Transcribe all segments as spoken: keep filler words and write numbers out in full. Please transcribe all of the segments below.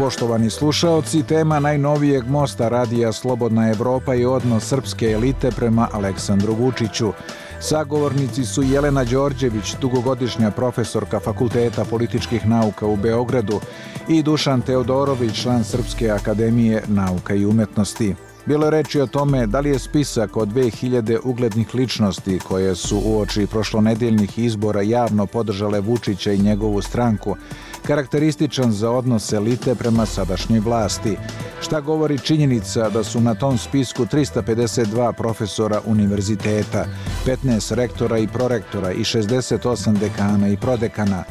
poštovani slušaoci, tema najnovijeg mosta radija Slobodna Evropa je odnos srpske elite prema Aleksandru Vučiću. Sagovornici su Jelena Đorđević, dugogodišnja profesorka Fakulteta političkih nauka u Beogradu, i Dušan Teodorović, član Srpske akademije nauka i umetnosti. Bilo je reči o tome da li je spisak od dve hiljade uglednih ličnosti koje su uoči prošlonedeljnih izbora javno podržale Vučića i njegovu stranku karakterističan za odnos elite prema sadašnjoj vlasti. Šta govori činjenica da su na tom spisku trista pedeset dva profesora univerziteta, petnaest rektora i prorektora i šezdeset osam dekana i prodekana?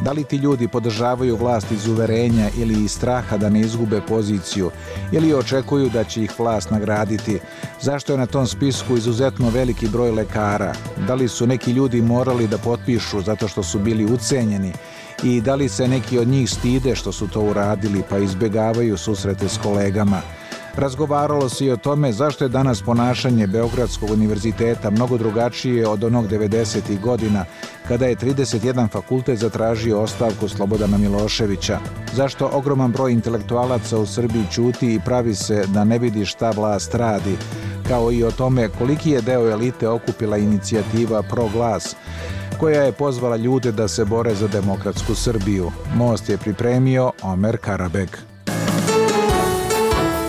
Da li ti ljudi podržavaju vlast iz uverenja ili iz straha da ne izgube poziciju, ili očekuju da će ih vlast nagraditi? Zašto je na tom spisku izuzetno veliki broj lekara? Da li su neki ljudi morali da potpišu zato što su bili ucenjeni? I da li se neki od njih stide što su to uradili pa izbjegavaju susrete s kolegama? Razgovaralo se i o tome zašto je danas ponašanje Beogradskog univerziteta mnogo drugačije od onog devedesetih godina, kada je trideset jedan fakultet zatražio ostavku Slobodana Miloševića. Zašto ogroman broj intelektualaca u Srbiji ćuti i pravi se da ne vidi šta vlast radi, kao i o tome koliki je deo elite okupila inicijativa Pro glas, koja je pozvala ljude da se bore za demokratsku Srbiju. Most je pripremio Omer Karabeg.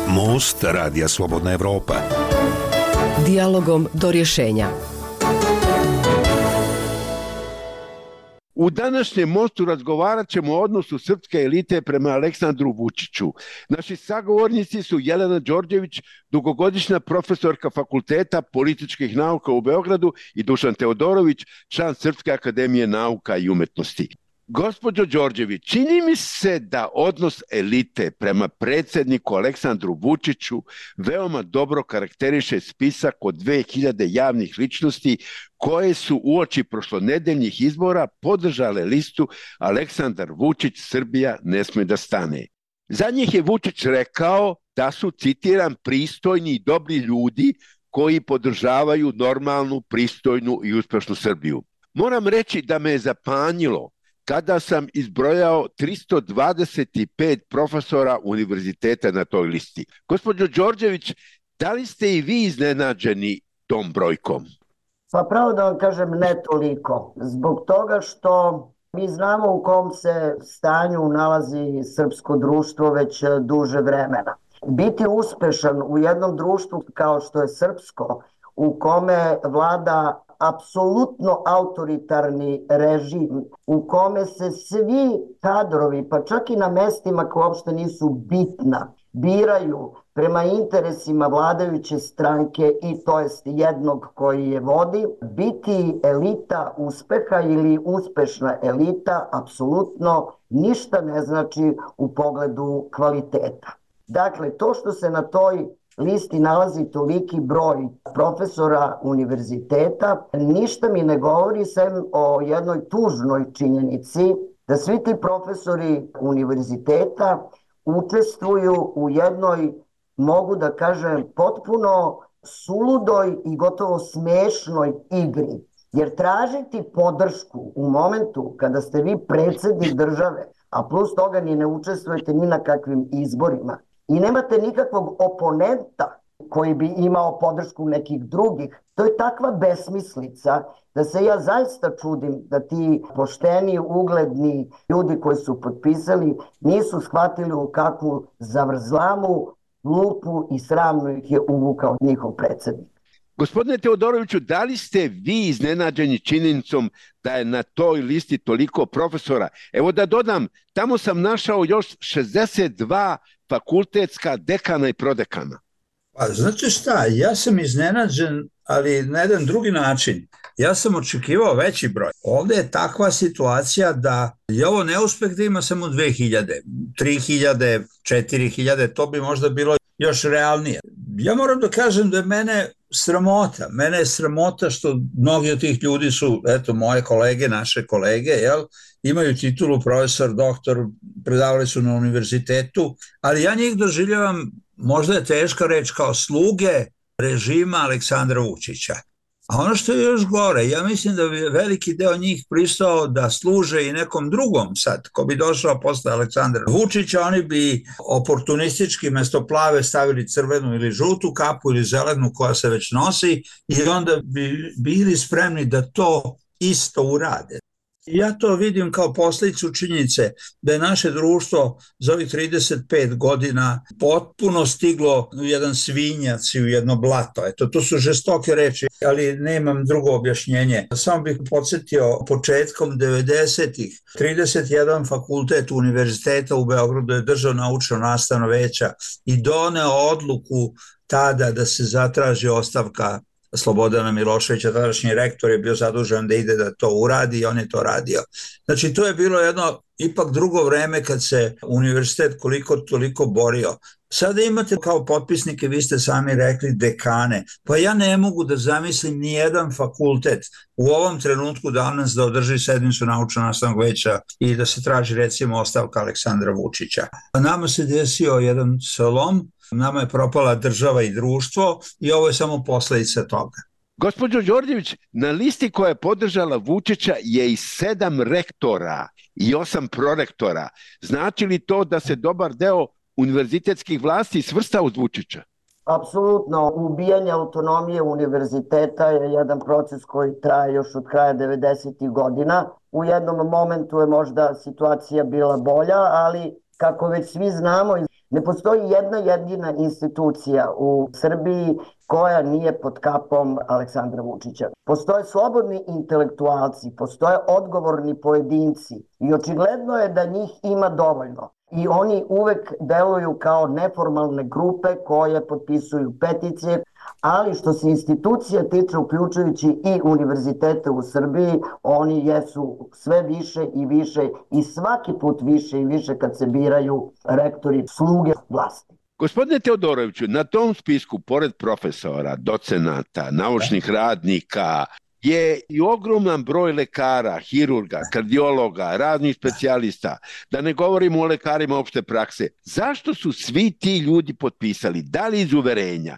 Most radija Slobodna Evropa. Dijalogom do rješenja. U današnjem mostu razgovarat ćemo o odnosu srpske elite prema Aleksandru Vučiću. Naši sagovornici su Jelena Đorđević, dugogodišnja profesorka Fakulteta političkih nauka u Beogradu, i Dušan Teodorović, član Srpske akademije nauka i umetnosti. Gospođo Đorđević, čini mi se da odnos elite prema predsjedniku Aleksandru Vučiću veoma dobro karakteriše spisak od dve hiljade javnih ličnosti koje su uoči prošlonedeljnih izbora podržale listu Aleksandar Vučić, Srbija ne sme da stane. Za njih je Vučić rekao da su, citiram, pristojni i dobri ljudi koji podržavaju normalnu, pristojnu i uspešnu Srbiju. Moram reći da me je zapanjilo kada sam izbrojao tristo dvadeset pet profesora univerziteta na toj listi. Gospođo Đorđević, da li ste i vi iznenađeni tom brojkom? Pa pravo da vam kažem, ne toliko. Zbog toga što mi znamo u kom se stanju nalazi srpsko društvo već duže vremena. Biti uspešan u jednom društvu kao što je srpsko, u kome vlada apsolutno autoritarni režim, u kome se svi kadrovi, pa čak i na mestima koje uopšte nisu bitna, biraju prema interesima vladajuće stranke i to jest jednog koji je vodi, biti elita uspeha ili uspešna elita apsolutno ništa ne znači u pogledu kvaliteta. Dakle, to što se na toj listi nalazi toliki broj profesora univerziteta, ništa mi ne govori sem o jednoj tužnoj činjenici da svi ti profesori univerziteta učestvuju u jednoj, mogu da kažem, potpuno suludoj i gotovo smešnoj igri. Jer tražiti podršku u momentu kada ste vi predsjednik države, a plus toga ni ne učestvujete ni na kakvim izborima, i nemate nikakvog oponenta koji bi imao podršku nekih drugih, to je takva besmislica da se ja zaista čudim da ti pošteni, ugledni ljudi koji su potpisali nisu shvatili u kakvu zavrzlamu, lupu i sramnu ih je uvukao njihov predsjednik. Gospodine Teodoroviću, da li ste vi iznenađeni činjenicom da je na toj listi toliko profesora? Evo da dodam, tamo sam našao još šezdeset dva fakultetska dekana i prodekana. Pa znate šta, ja sam iznenađen, ali na jedan drugi način. Ja sam očekivao veći broj. Ovdje je takva situacija da je ovo neuspeh da ima samo dve hiljade, tri hiljade, četiri hiljade, to bi možda bilo još realnije. Ja moram da kažem da je mene sramota. Mene je sramota što mnogi od tih ljudi su, eto, moje kolege, naše kolege, jel, imaju titulu profesor, doktor, predavali su na univerzitetu, ali ja njih doživljavam, možda je teška reč, kao sluge režima Aleksandra Vučića. A ono što je još gore, ja mislim da bi veliki deo njih pristao da služe i nekom drugom sad, ko bi došao posle Aleksandra Vučića, oni bi oportunistički mesto plave stavili crvenu ili žutu kapu ili zelenu koja se već nosi i onda bi bili spremni da to isto urade. Ja to vidim kao posljedicu činjenice da je naše društvo za ovih trideset pet godina potpuno stiglo u jedan svinjac i u jedno blato. Eto, to su žestoke reči, ali nemam drugo objašnjenje. Samo bih podsjetio, početkom devedesetih trideset jedan fakultet univerziteta u Beogradu je držao naučno-nastavno veća i doneo odluku tada da se zatraži ostavka Slobodana Miloševića, tadašnji rektor je bio zadužen da ide da to uradi i on je to radio. Znači to je bilo jedno ipak drugo vreme kad se univerzitet koliko toliko borio. Sada imate kao potpisnike, vi ste sami rekli, dekane. Pa ja ne mogu da zamislim ni jedan fakultet u ovom trenutku danas da održi sednicu naučno-nastavnog veća i da se traži recimo ostavka Aleksandra Vučića. A nama se desio jedan slom, nama je propala država i društvo i ovo je samo posledica toga. Gospođo Đorđević, na listi koja je podržala Vučića je i sedam rektora i osam prorektora. Znači li to da se dobar deo univerzitetskih vlasti svrsta uz Vučića? Apsolutno, ubijanje autonomije univerziteta je jedan proces koji traje još od kraja devedesetih godina. U jednom momentu je možda situacija bila bolja, ali kako već svi znamo, ne postoji jedna jedina institucija u Srbiji koja nije pod kapom Aleksandra Vučića. Postoje slobodni intelektualci, postoje odgovorni pojedinci i očigledno je da njih ima dovoljno. I oni uvek deluju kao neformalne grupe koje potpisuju peticije, ali što se institucija tiče, uključujući i univerzitete u Srbiji, oni jesu sve više i više i svaki put više i više kad se biraju rektori sluge vlasti. Gospodine Teodoroviću, na tom spisku, pored profesora, docenata, naučnih radnika, je i ogroman broj lekara, hirurga, kardiologa, raznih specijalista, da ne govorimo o lekarima opšte prakse. Zašto su svi ti ljudi potpisali? Da li iz uverenja?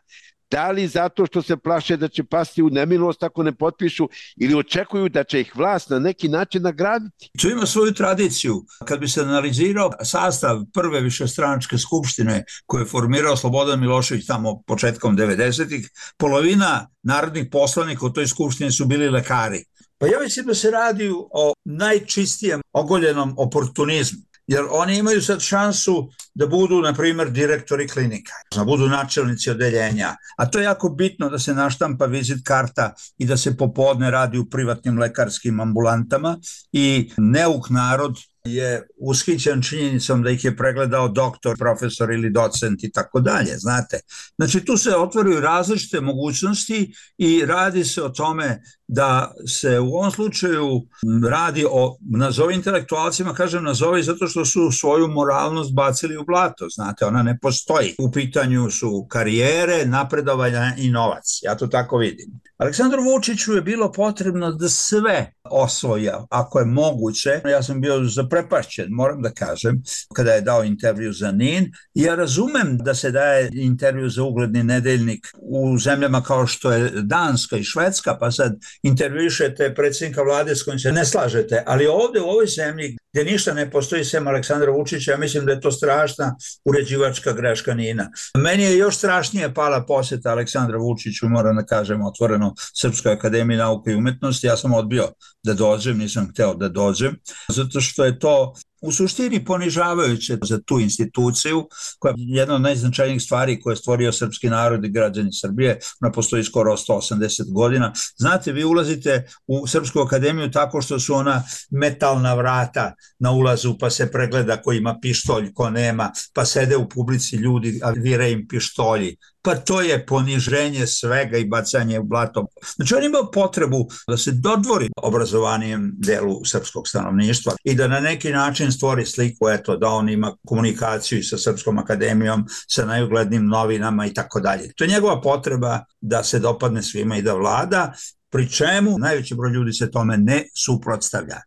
Da li zato što se plaše da će pasti u nemilost ako ne potpišu ili očekuju da će ih vlast na neki način nagraditi? To ima svoju tradiciju. Kad bi se analizirao sastav prve višestranačke skupštine koje je formirao Slobodan Milošević tamo početkom devedesetih, polovina narodnih poslanika u toj skupštini su bili lekari. Pa ja mislim da se radi o najčistijem ogoljenom oportunizmu. Jer oni imaju sad šansu da budu, na primjer, direktori klinika, da budu načelnici odeljenja. A to je jako bitno da se naštampa vizit karta i da se popodne radi u privatnim lekarskim ambulantama i neuk narod je ushićen činjenicom da ih je pregledao doktor, profesor ili docent i tako dalje, znate. Znači tu se otvaraju različite mogućnosti i radi se o tome da se u ovom slučaju radi o, nazovi intelektualcima, kažem nazovi zato što su svoju moralnost bacili u blato, znate, ona ne postoji. U pitanju su karijere, napredovanja i novac, ja to tako vidim. Aleksandru Vučiću je bilo potrebno da sve osvoja, ako je moguće. Ja sam bio zaprepašćen, moram da kažem, kada je dao intervju za N I N. Ja razumem da se daje intervju za ugledni nedeljnik u zemljama kao što je Danska i Švedska, pa sad intervjušete predsjednika vlade s kojim se ne slažete, ali ovdje u ovoj zemlji gdje ništa ne postoji sem Aleksandra Vučića, ja mislim da je to strašna uređivačka greška N I N-a. Meni je još strašnije pala posjeta Aleksandra Vučiću, moram da kažem otvoreno, Srpskoj akademiji nauke i umetnosti. Ja sam odbio da dođem, nisam hteo da dođem, zato što je to u suštini ponižavajuće za tu instituciju, koja je jedna od najznačajnijih stvari koje je stvorio srpski narod i građani Srbije. Ona postoji skoro sto osamdeset godina. Znate, vi ulazite u Srpsku akademiju tako što su ona metalna vrata na ulazu, pa se pregleda ko ima pištolj, ko nema, pa sede u publici ljudi, a vire im pištolji. Pa to je poniženje svega i bacanje u blato. Znači on ima potrebu da se dodvori obrazovanijem delu srpskog stanovništva i da na neki način stvori sliku, eto, da on ima komunikaciju sa Srpskom akademijom, sa najuglednijim novinama i tako dalje. To je njegova potreba da se dopadne svima i da vlada, pri čemu najveći broj ljudi se tome ne suprotstavlja.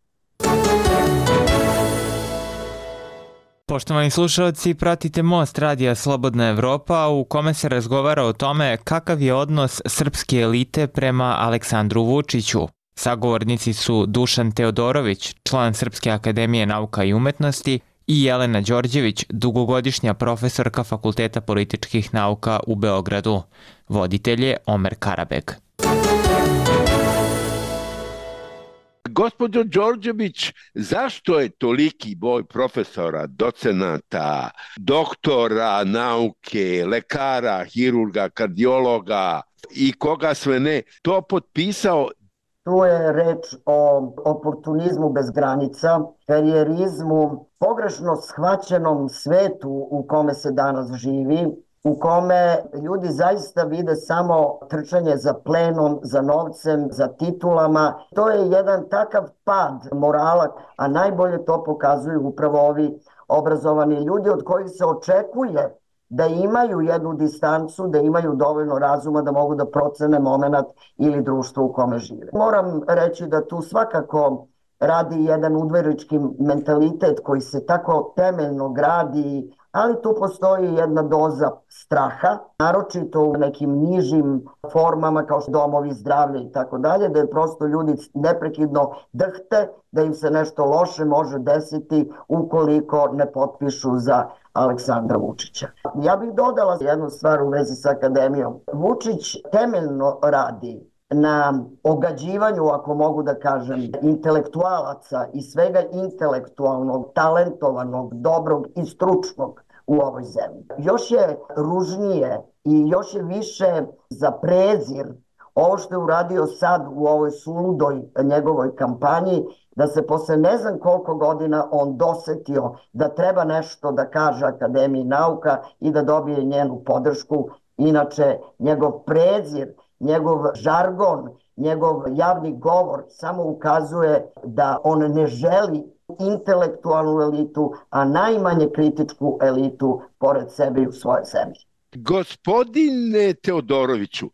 Poštovani slušalci, pratite Most radija Slobodna Evropa u kome se razgovara o tome kakav je odnos srpske elite prema Aleksandru Vučiću. Sagovornici su Dušan Teodorović, član Srpske akademije nauka i umetnosti, i Jelena Đorđević, dugogodišnja profesorka Fakulteta političkih nauka u Beogradu. Voditelj je Omer Karabeg. Gospođo Đorđević, zašto je toliki broj profesora, docenata, doktora nauke, lekara, hirurga, kardiologa i koga sve ne to potpisao? Tu je reč o oportunizmu bez granica, karijerizmu, pogrešno shvaćenom svetu u kome se danas živi, u kome ljudi zaista vide samo trčanje za plenom, za novcem, za titulama. To je jedan takav pad morala, a najbolje to pokazuju upravo ovi obrazovani ljudi od kojih se očekuje da imaju jednu distancu, da imaju dovoljno razuma da mogu da procene moment ili društvo u kome žive. Moram reći da tu svakako radi jedan udverički mentalitet koji se tako temeljno gradi, ali tu postoji jedna doza straha, naročito u nekim nižim formama kao što domovi zdravlja i tako dalje, da je prosto ljudi neprekidno drhte, da im se nešto loše može desiti ukoliko ne potpišu za Aleksandra Vučića. Ja bih dodala jednu stvar u vezi sa akademijom. Vučić temeljno radi na ogađivanju, ako mogu da kažem, intelektualaca i svega intelektualnog, talentovanog, dobrog i stručnog u ovoj zemlji. Još je ružnije i još je više za prezir ovo što je uradio sad u ovoj suludoj njegovoj kampanji, da se posle ne znam koliko godina on dosetio da treba nešto da kaže Akademiji nauka i da dobije njenu podršku. Inače, njegov prezir, njegov žargon, njegov javni govor samo ukazuje da on ne želi intelektualnu elitu, a najmanje kritičku elitu pored sebe i u svojoj zemlji. Gospodine Teodoroviću,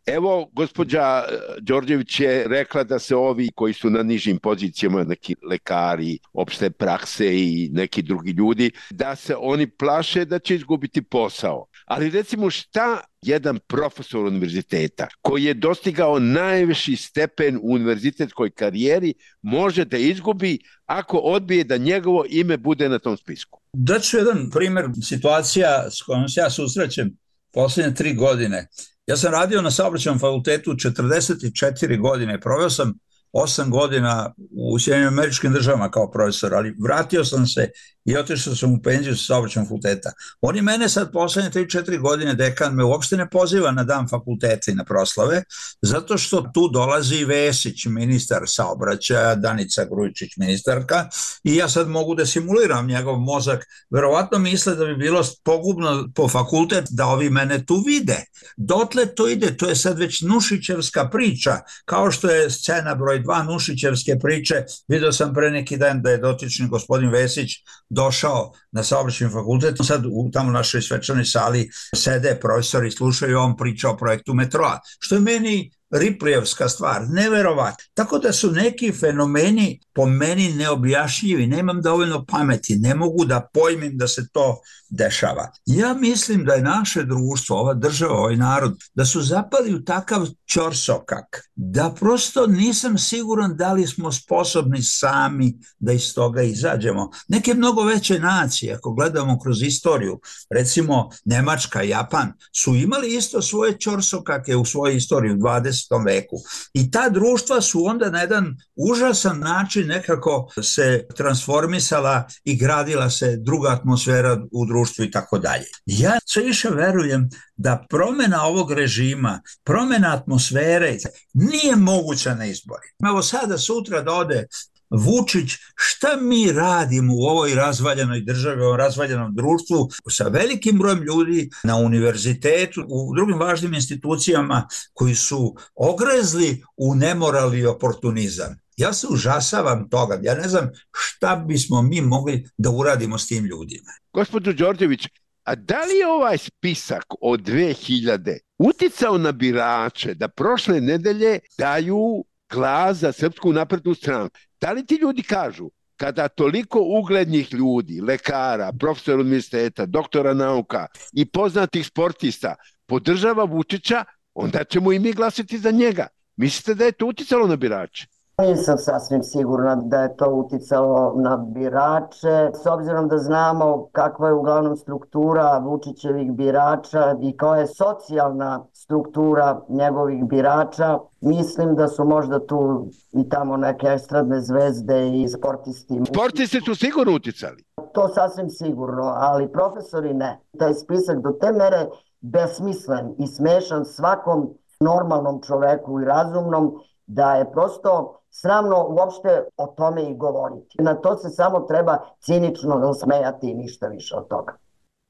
evo, gospođa Đorđević je rekla da se ovi koji su na nižim pozicijama, neki lekari, opšte prakse i neki drugi ljudi, da se oni plaše da će izgubiti posao. Ali recimo šta jedan profesor univerziteta koji je dostigao najviši stepen u univerzitetskoj karijeri može da izgubi ako odbije da njegovo ime bude na tom spisku? Daću jedan primjer situacija s kojom se ja susrećem posljednje tri godine. Ja sam radio na Saobraćajnom fakultetu četrdeset četiri godine, proveo sam osam godina u Sjedinjenim Američkim Državama kao profesor, ali vratio sam se i otišao sam u penziju sa Saobraćajnog fakulteta. Oni mene sad poslednje tri četiri godine, dekan me uopšte ne poziva na dan fakulteta i na proslave, zato što tu dolazi Vesić, ministar saobraćaja, Danica Grujičić, ministarka, i ja sad mogu da simuliram njegov mozak. Verovatno misle da bi bilo pogubno po fakultet da ovi mene tu vide. Dotle to ide, to je sad već Nušićevska priča, kao što je scena broj dva Nušićevske priče. Video sam pre neki dan da je dotični gospodin Vesić došao na Saobraćajni fakultet. Sad u tamo našoj svečanoj sali sede profesori, slušaju, on priča o projektu metroa, što je meni Riplijevska stvar, neverovatno. Tako da su neki fenomeni po meni neobjašnjivi, nemam dovoljno pameti, ne mogu da pojmim da se to dešava. Ja mislim da je naše društvo, ova država, ovaj narod, da su zapali u takav ćorsokak, da prosto nisam siguran da li smo sposobni sami da iz toga izađemo. Neke mnogo veće nacije, ako gledamo kroz istoriju, recimo Nemačka, Japan, su imali isto svoje ćorsokake u svojoj istoriji u dvadesetom veku. I ta društva su onda na jedan užasan način nekako se transformisala i gradila se druga atmosfera u društvu i tako dalje. Ja sve više verujem da promjena ovog režima, promjena atmosfere nije moguća na izbori. Evo sada sutra da ode Vučić, šta mi radimo u ovoj razvaljenoj državi, u ovom razvaljenom društvu sa velikim brojem ljudi na univerzitetu, u drugim važnim institucijama koji su ogrezli u nemoral i oportunizam. Ja se užasavam toga, ja ne znam šta bismo mi mogli da uradimo s tim ljudima. Gospođo Đorđević, a da li je ovaj spisak od dve hiljade uticao na birače da prošle nedelje daju glas za Srpsku naprednu stranu? Da li ti ljudi kažu, kada toliko uglednih ljudi, lekara, profesora univerziteta, doktora nauka i poznatih sportista podržava Vučića, onda ćemo i mi glasiti za njega. Mislite da je to uticalo na birače? Nisam sasvim sigurna da je to uticalo na birače, s obzirom da znamo kakva je uglavnom struktura Vučićevih birača i koja je socijalna struktura njegovih birača. Mislim da su možda tu i tamo neke estradne zvezde i sportisti. Sportisti su sigurno uticali. To sasvim sigurno, ali profesori ne. Taj spisak do te mere besmislen i smešan svakom normalnom čoveku i razumnom da je prosto sramno uopšte o tome i govoriti. Na to se samo treba cinično smejati i ništa više od toga.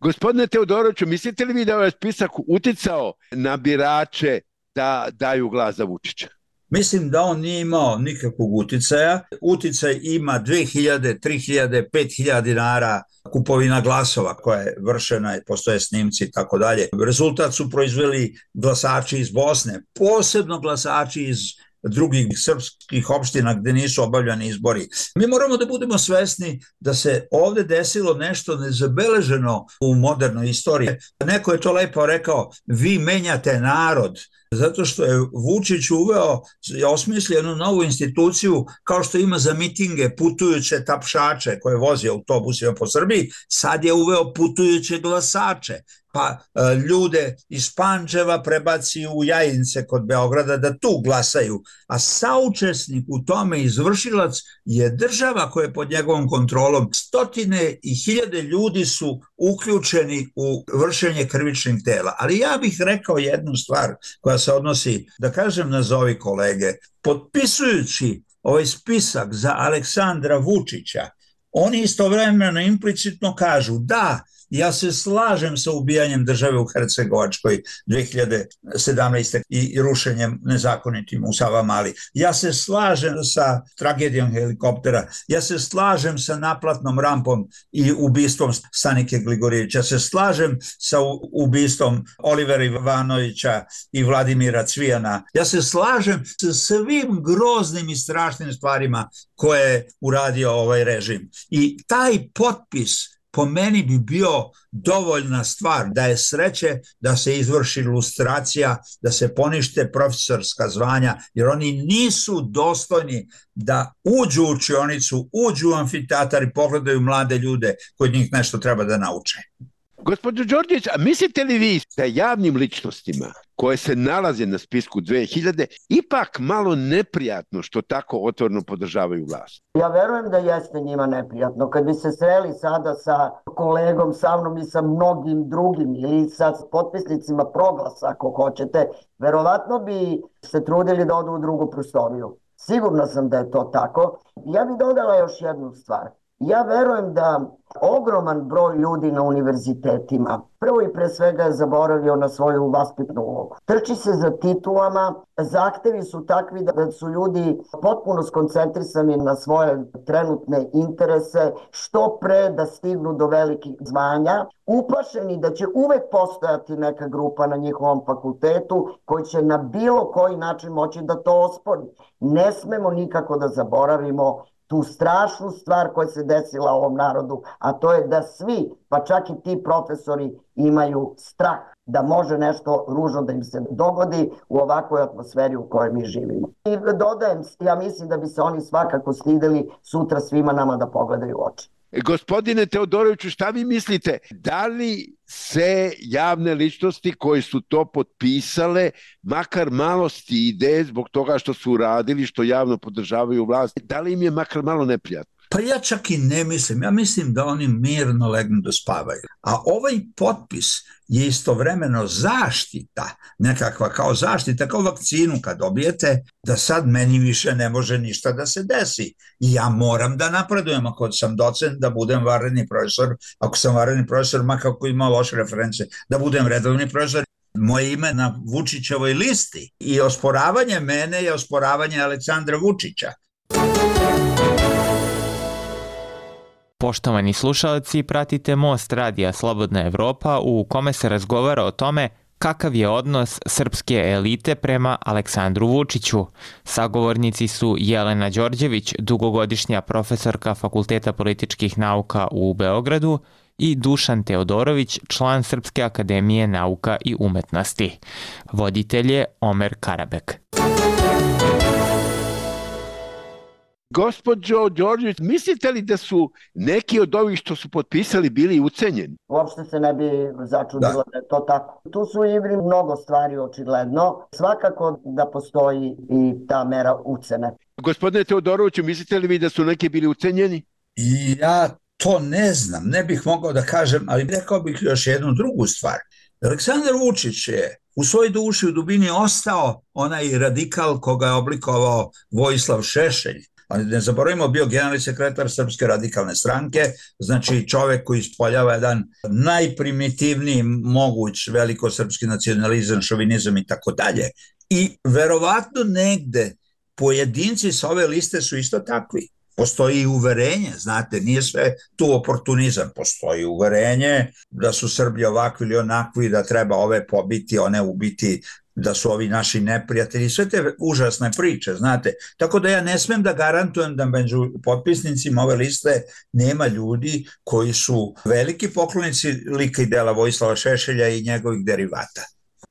Gospodine Teodoroviću, mislite li vi da je ovaj spisak uticao na birače da daju glas za Vučića? Mislim da on nije imao nikakvog uticaja. Uticaj ima dve hiljade, tri hiljade, pet hiljada dinara kupovina glasova koja je vršena i postoje snimci i tako dalje. Rezultat su proizveli glasači iz Bosne, posebno glasači iz drugih srpskih opština gde nisu obavljani izbori. Mi moramo da budemo svesni da se ovde desilo nešto nezabeleženo u modernoj istoriji. Neko je to lepo rekao, vi menjate narod, zato što je Vučić uveo, osmislio jednu novu instituciju kao što ima za mitinge putujuće tapšače koje vozi autobusima po Srbiji, sad je uveo putujuće glasače. Pa ljude iz Pančeva prebaci u Jajince kod Beograda da tu glasaju, a saučesnik u tome izvršilac je država koja je pod njegovom kontrolom. Stotine i hiljade ljudi su uključeni u vršenje krivičnih dela, ali ja bih rekao jednu stvar koja se odnosi, da kažem nazovi kolege, potpisujući ovaj spisak za Aleksandra Vučića, oni istovremeno implicitno kažu da, ja se slažem sa ubijanjem države u Hercegovačkoj dve hiljade sedamnaeste. i rušenjem nezakonitim u Savamali. Ja se slažem sa tragedijom helikoptera. Ja se slažem sa naplatnom rampom i ubistvom Stanike Gligorijevića. Ja se slažem sa ubistvom Olivera Ivanovića i Vladimira Cvijana. Ja se slažem sa svim groznim i strašnim stvarima koje je uradio ovaj režim. I taj potpis po meni bi bio dovoljna stvar da je sreće da se izvrši lustracija, da se ponište profesorska zvanja, jer oni nisu dostojni da uđu u učionicu, uđu u amfiteatar i pogledaju mlade ljude koji njih nešto treba da nauče. Gospođo Đorđević, a mislite li vi da javnim ličnostima koje se nalaze na spisku dve hiljade ipak malo neprijatno što tako otvoreno podržavaju vlast? Ja verujem da jeste njima neprijatno. Kad bi se sreli sada sa kolegom, sa mnom i sa mnogim drugim ili sa potpisnicima Proglasa, ako hoćete, verovatno bi se trudili da odu u drugu prostoriju. Sigurna sam da je to tako. Ja bih dodala još jednu stvar. Ja verujem da ogroman broj ljudi na univerzitetima prvo i pre svega je zaboravio na svoju vaspitnu ulogu. Trči se za titulama, zahtevi su takvi da su ljudi potpuno skoncentrisani na svoje trenutne interese, što pre da stignu do velikih zvanja, uplašeni da će uvek postojati neka grupa na njihovom fakultetu koji će na bilo koji način moći da to ospori. Ne smemo nikako da zaboravimo tu strašnu stvar koja se desila ovom narodu, a to je da svi, pa čak i ti profesori, imaju strah da može nešto ružno da im se dogodi u ovakvoj atmosferi u kojoj mi živimo. I dodajem, ja mislim da bi se oni svakako stideli sutra svima nama da pogledaju u oči. Gospodine Teodoroviću, šta vi mislite? Da li se javne ličnosti koji su to potpisale makar malo stide zbog toga što su uradili, što javno podržavaju vlast? Da li im je makar malo neprijatno? Pa ja čak i ne mislim. Ja mislim da oni mirno legnu da spavaju. A ovaj potpis je istovremeno zaštita, nekakva kao zaštita, kao vakcinu kad dobijete, da sad meni više ne može ništa da se desi. I ja moram da napredujem, ako sam docent, da budem vanredni profesor, ako sam vanredni profesor, makako ima loše reference, da budem redovni profesor. Moje ime na Vučićevoj listi i osporavanje mene je osporavanje Aleksandra Vučića. Poštovani slušalci, pratite Most radija Slobodna Evropa u kome se razgovara o tome kakav je odnos srpske elite prema Aleksandru Vučiću. Sagovornici su Jelena Đorđević, dugogodišnja profesorka Fakulteta političkih nauka u Beogradu, i Dušan Teodorović, član Srpske akademije nauka i umetnosti. Voditelj je Omer Karabek. Gospođo Đorđević, mislite li da su neki od ovih što su potpisali bili ucenjeni? Uopšte se ne bi začudilo da. da je to tako. Tu su igri mnogo stvari očigledno. Svakako da postoji i ta mera ucene. Gospodine Teodoroviću, mislite li vi da su neki bili ucenjeni? Ja to ne znam, ne bih mogao da kažem, ali rekao bih još jednu drugu stvar. Aleksandar Vučić je u svojoj duši u dubini ostao onaj radikal koga je oblikovao Vojislav Šešelj. Ali ne zaboravimo, bio generalni sekretar Srpske radikalne stranke, znači čovek koji ispoljava jedan najprimitivniji moguć velikosrpski nacionalizam, šovinizam i tako dalje. I verovatno negde pojedinci sa ove liste su isto takvi. Postoji uverenje, znate, nije sve tu oportunizam, postoji uverenje da su Srbi ovakvi ili onakvi, da treba ove pobiti, one ubiti, da su ovi naši neprijatelji, sve te užasne priče, znate. Tako da ja ne smem da garantujem da među potpisnicima ove liste nema ljudi koji su veliki poklonici lika i dela Vojislava Šešelja i njegovih derivata.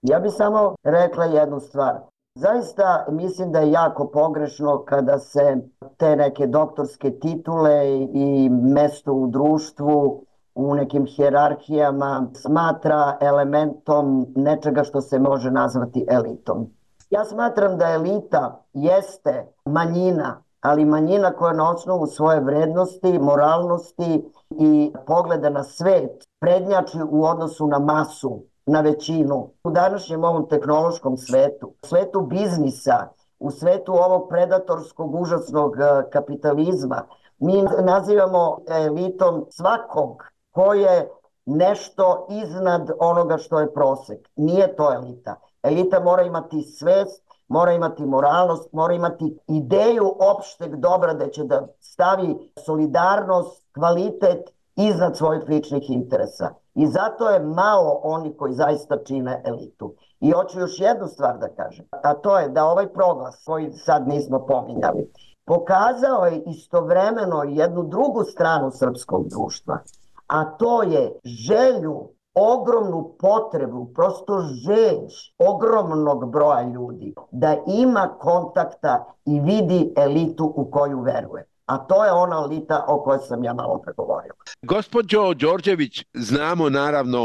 Ja bih samo rekla jednu stvar. Zaista mislim da je jako pogrešno kada se te neke doktorske titule i mesto u društvu u nekim hijerarhijama smatra elementom nečega što se može nazvati elitom. Ja smatram da elita jeste manjina, ali manjina koja na osnovu svoje vrednosti, moralnosti i pogleda na svet prednjači u odnosu na masu, na većinu. U današnjem ovom tehnološkom svetu, svetu biznisa, u svetu ovog predatorskog, užasnog kapitalizma, mi nazivamo elitom svakog ko je nešto iznad onoga što je prosek. Nije to elita. Elita mora imati svest, mora imati moralnost, mora imati ideju opšteg dobra da će da stavi solidarnost, kvalitet iznad svojih ličnih interesa. I zato je malo oni koji zaista čine elitu. I hoću još jednu stvar da kažem, a to je da ovaj proglas koji sad nismo pominjali, pokazao je istovremeno jednu drugu stranu srpskog društva, a to je želju, ogromnu potrebu, prosto žeđ ogromnog broja ljudi da ima kontakta i vidi elitu u koju veruje. A to je ona elita o kojoj sam ja malo pregovorio. Gospođo Đorđević, znamo naravno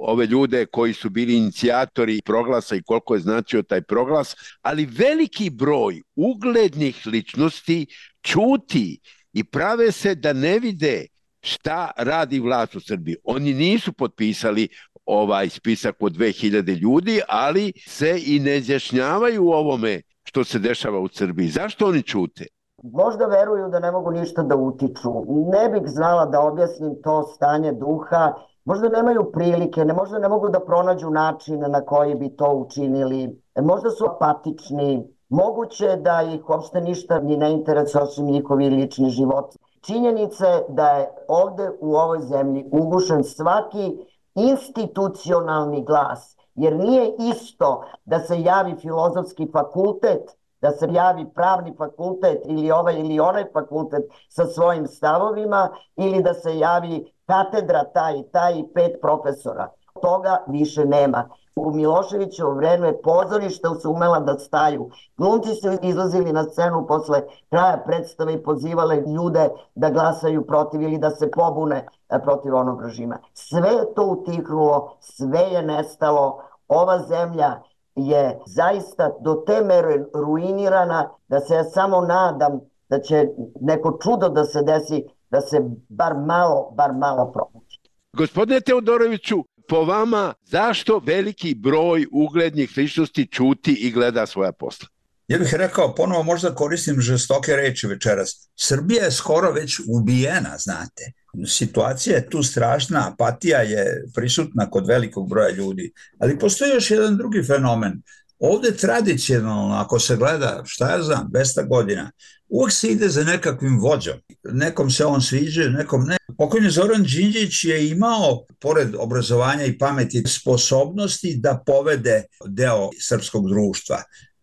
ove ljude koji su bili inicijatori proglasa i koliko je značio taj proglas, ali veliki broj uglednih ličnosti ćuti i prave se da ne vide šta radi vlast u Srbiji. Oni nisu potpisali ovaj spisak od dve hiljade ljudi, ali se i ne izjašnjavaju u ovome što se dešava u Srbiji. Zašto oni ćute? Možda veruju da ne mogu ništa da utiču. Ne bih znala da objasnim to stanje duha. Možda nemaju prilike, ne, možda ne mogu da pronađu način na koji bi to učinili. Možda su apatični. Moguće da ih uopšte ništa ni ne interesuje osim njihovi lični život. Činjenica je da je ovde u ovoj zemlji ugušen svaki institucionalni glas. Jer nije isto da se javi filozofski fakultet, da se javi pravni fakultet ili ovaj ili onaj fakultet sa svojim stavovima ili da se javi katedra taj i taj i pet profesora. Toga više nema. U Miloševićevo vreme pozorišta su umela da staju. Glumci su izlazili na scenu posle kraja predstave i pozivale ljude da glasaju protiv ili da se pobune protiv onog režima. Sve je to utihnulo, sve je nestalo. Ova zemlja je zaista do te mere ruinirana da se ja samo nadam da će neko čudo da se desi, da se bar malo, bar malo probući. Gospodine Teodoroviću, po vama, zašto veliki broj uglednih ličnosti ćuti i gleda svoja posla? Ja bih rekao, ponovo možda koristim žestoke reči večeras. Srbija je skoro već ubijena, znate. Situacija je tu strašna, apatija je prisutna kod velikog broja ljudi. Ali postoji još jedan drugi fenomen. Ovde tradicionalno, ako se gleda, šta ja znam, dvesta godina, uvek se ide za nekakvim vođom. Nekom se on sviđa, nekom ne. Pokojni Zoran Đinđić je imao, pored obrazovanja i pameti, sposobnosti da povede deo srpskog društva.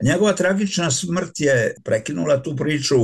Njegova tragična smrt je prekinula tu priču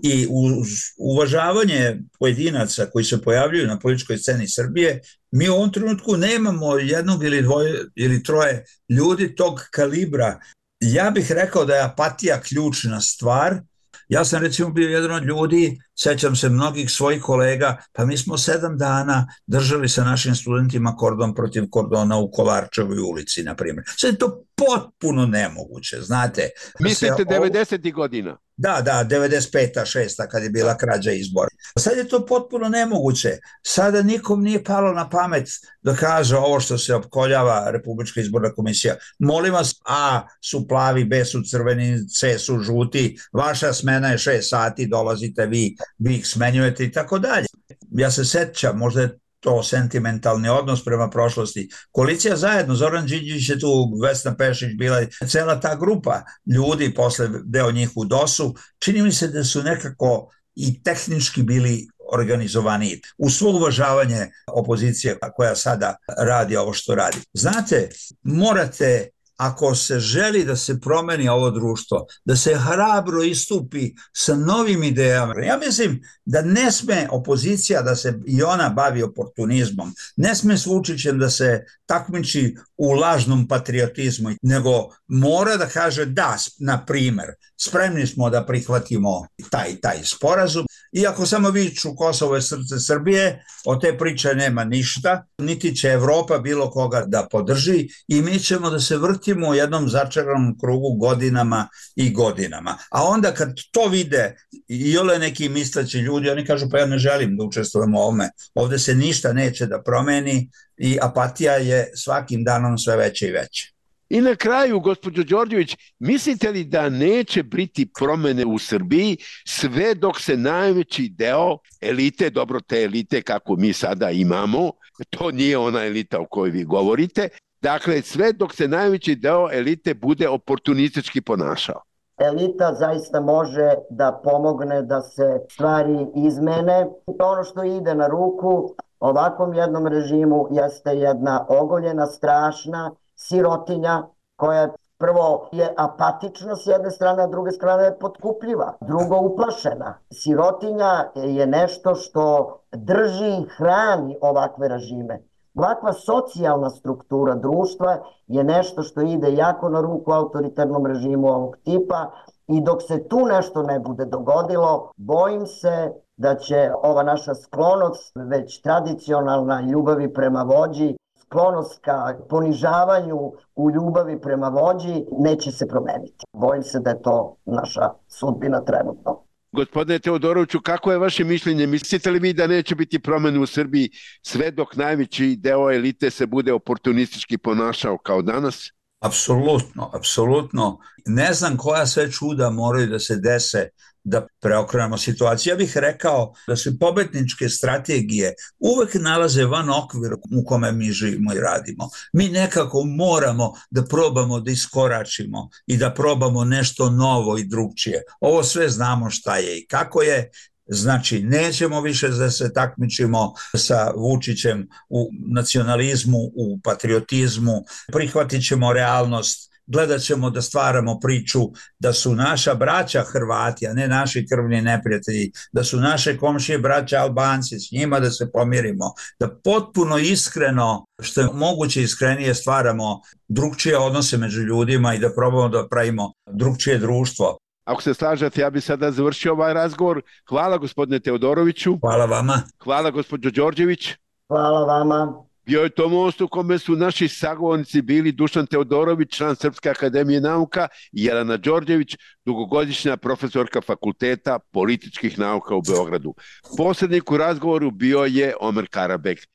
i uz uvažavanje pojedinaca koji se pojavljuju na političkoj sceni Srbije, mi u ovom trenutku nemamo jednog ili dvoje ili troje ljudi tog kalibra. Ja bih rekao da je apatija ključna stvar. Ja sam recimo bio jedan od ljudi, sećam se mnogih svojih kolega, pa mi smo sedam dana držali sa našim studentima kordon protiv kordona u Kolarčevoj ulici, na primjer. Sve je to potpuno nemoguće, znate. Mislite devedesetih godina? Da, da, devedeset peta, šesta kad je bila krađa izbora. Sad je to potpuno nemoguće. Sada nikom nije palo na pamet da kaže ovo što se opkoljava Republička izborna komisija. Molim vas, A su plavi, B su crveni, C su žuti, vaša smena je šest sati, dolazite vi, vi ih smenjujete i tako dalje. Ja se sećam, možda je to sentimentalni odnos prema prošlosti. Koalicija zajedno, Zoran Đinđić je tu, Vesna Pešić bila, cela ta grupa ljudi, posle deo njih u dosu, čini mi se da su nekako i tehnički bili organizovaniji. U svo uvažavanje opozicije koja sada radi ovo što radi. Znate, morate, ako se želi da se promeni ovo društvo, da se hrabro istupi sa novim idejama. Ja mislim da ne sme opozicija da se i ona bavi oportunizmom, ne sme s Vučićem da se takmiči u lažnom patriotizmu, nego mora da kaže da, na primer, spremni smo da prihvatimo taj taj sporazum, iako samo viču Kosovo je srce Srbije, od te priče nema ništa, niti će Evropa bilo koga da podrži i mi ćemo da se vrtimo u jednom začaranom krugu godinama i godinama. A onda kad to vide i ole neki misleći ljudi, oni kažu pa ja ne želim da učestvujem u ovome, ovde se ništa neće da promeni i apatija je svakim danom sve veća i veća. I na kraju, gospođo Đorđević, mislite li da neće biti promene u Srbiji sve dok se najveći deo elite, dobro te elite kako mi sada imamo, to nije ona elita o kojoj vi govorite, dakle sve dok se najveći deo elite bude oportunistički ponašao? Elita zaista može da pomogne da se stvari izmene. Ono što ide na ruku ovakvom jednom režimu jeste jedna ogoljena, strašna sirotinja koja prvo je apatična s jedne strane, a druge strane je potkupljiva, drugo uplašena. Sirotinja je nešto što drži i hrani ovakve režime. Ovakva socijalna struktura društva je nešto što ide jako na ruku autoritarnom režimu ovog tipa i dok se tu nešto ne bude dogodilo, bojim se da će ova naša sklonost, već tradicionalna ljubavi prema vođi, sklonost ka ponižavanju u ljubavi prema vođi, neće se promeniti. Bojim se da je to naša sudbina trenutno. Gospodine Teodoroviću, kako je vaše mišljenje? Mislite li vi da neće biti promene u Srbiji sve dok najveći deo elite se bude oportunistički ponašao kao danas? Apsolutno, apsolutno. Ne znam koja sve čuda moraju da se dese da preokrenemo situaciju. Ja bih rekao da se pobedničke strategije uvek nalaze van okvira u kome mi živimo i radimo. Mi nekako moramo da probamo da iskoračimo i da probamo nešto novo i drugčije. Ovo sve znamo šta je i kako je. Znači, nećemo više da se takmičimo sa Vučićem u nacionalizmu, u patriotizmu, prihvatit ćemo realnost, gledat ćemo da stvaramo priču da su naša braća Hrvati, a ne naši krvni neprijatelji, da su naše komšije braća Albanci, s njima da se pomirimo, da potpuno iskreno, što je moguće iskrenije, stvaramo drugčije odnose među ljudima i da probamo da pravimo drugčije društvo. Ako se slažete, ja bih sada završio ovaj razgovor. Hvala gospodine Teodoroviću. Hvala vama. Hvala gospođo Đorđević. Hvala vama. Bio je to most u kome su naši sagovornici bili Dušan Teodorović, član Srpske akademije nauka, i Jelena Đorđević, dugogodišnja profesorka Fakulteta političkih nauka u Beogradu. Posrednik u razgovoru bio je Omer Karabek.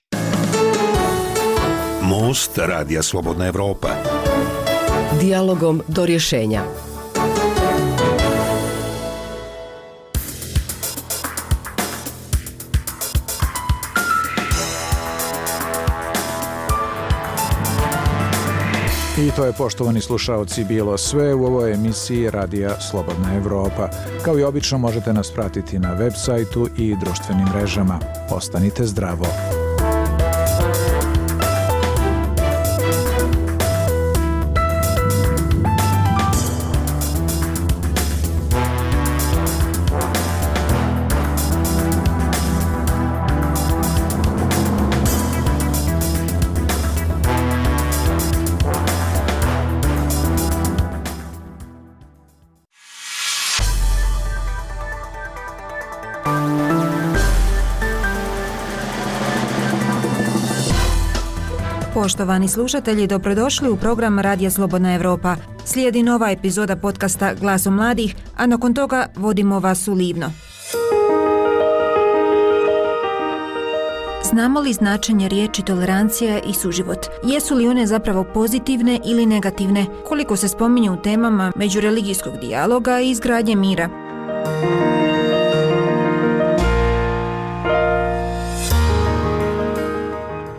Most Radija Slobodna Evropa. Dijalogom do rješenja. I to je, poštovani slušaoci, bilo sve u ovoj emisiji Radija Slobodna Evropa. Kao i obično možete nas pratiti na web sajtu i društvenim mrežama. Ostanite zdravo. Poštovani slušatelji, dobrodošli u program Radija Slobodna Evropa. Slijedi nova epizoda podcasta Glasom mladih, a nakon toga vodimo vas u Livno. Znamo li značenje riječi tolerancija i suživot? Jesu li one zapravo pozitivne ili negativne? Koliko se spominju u temama međureligijskog dijaloga i izgradnje mira?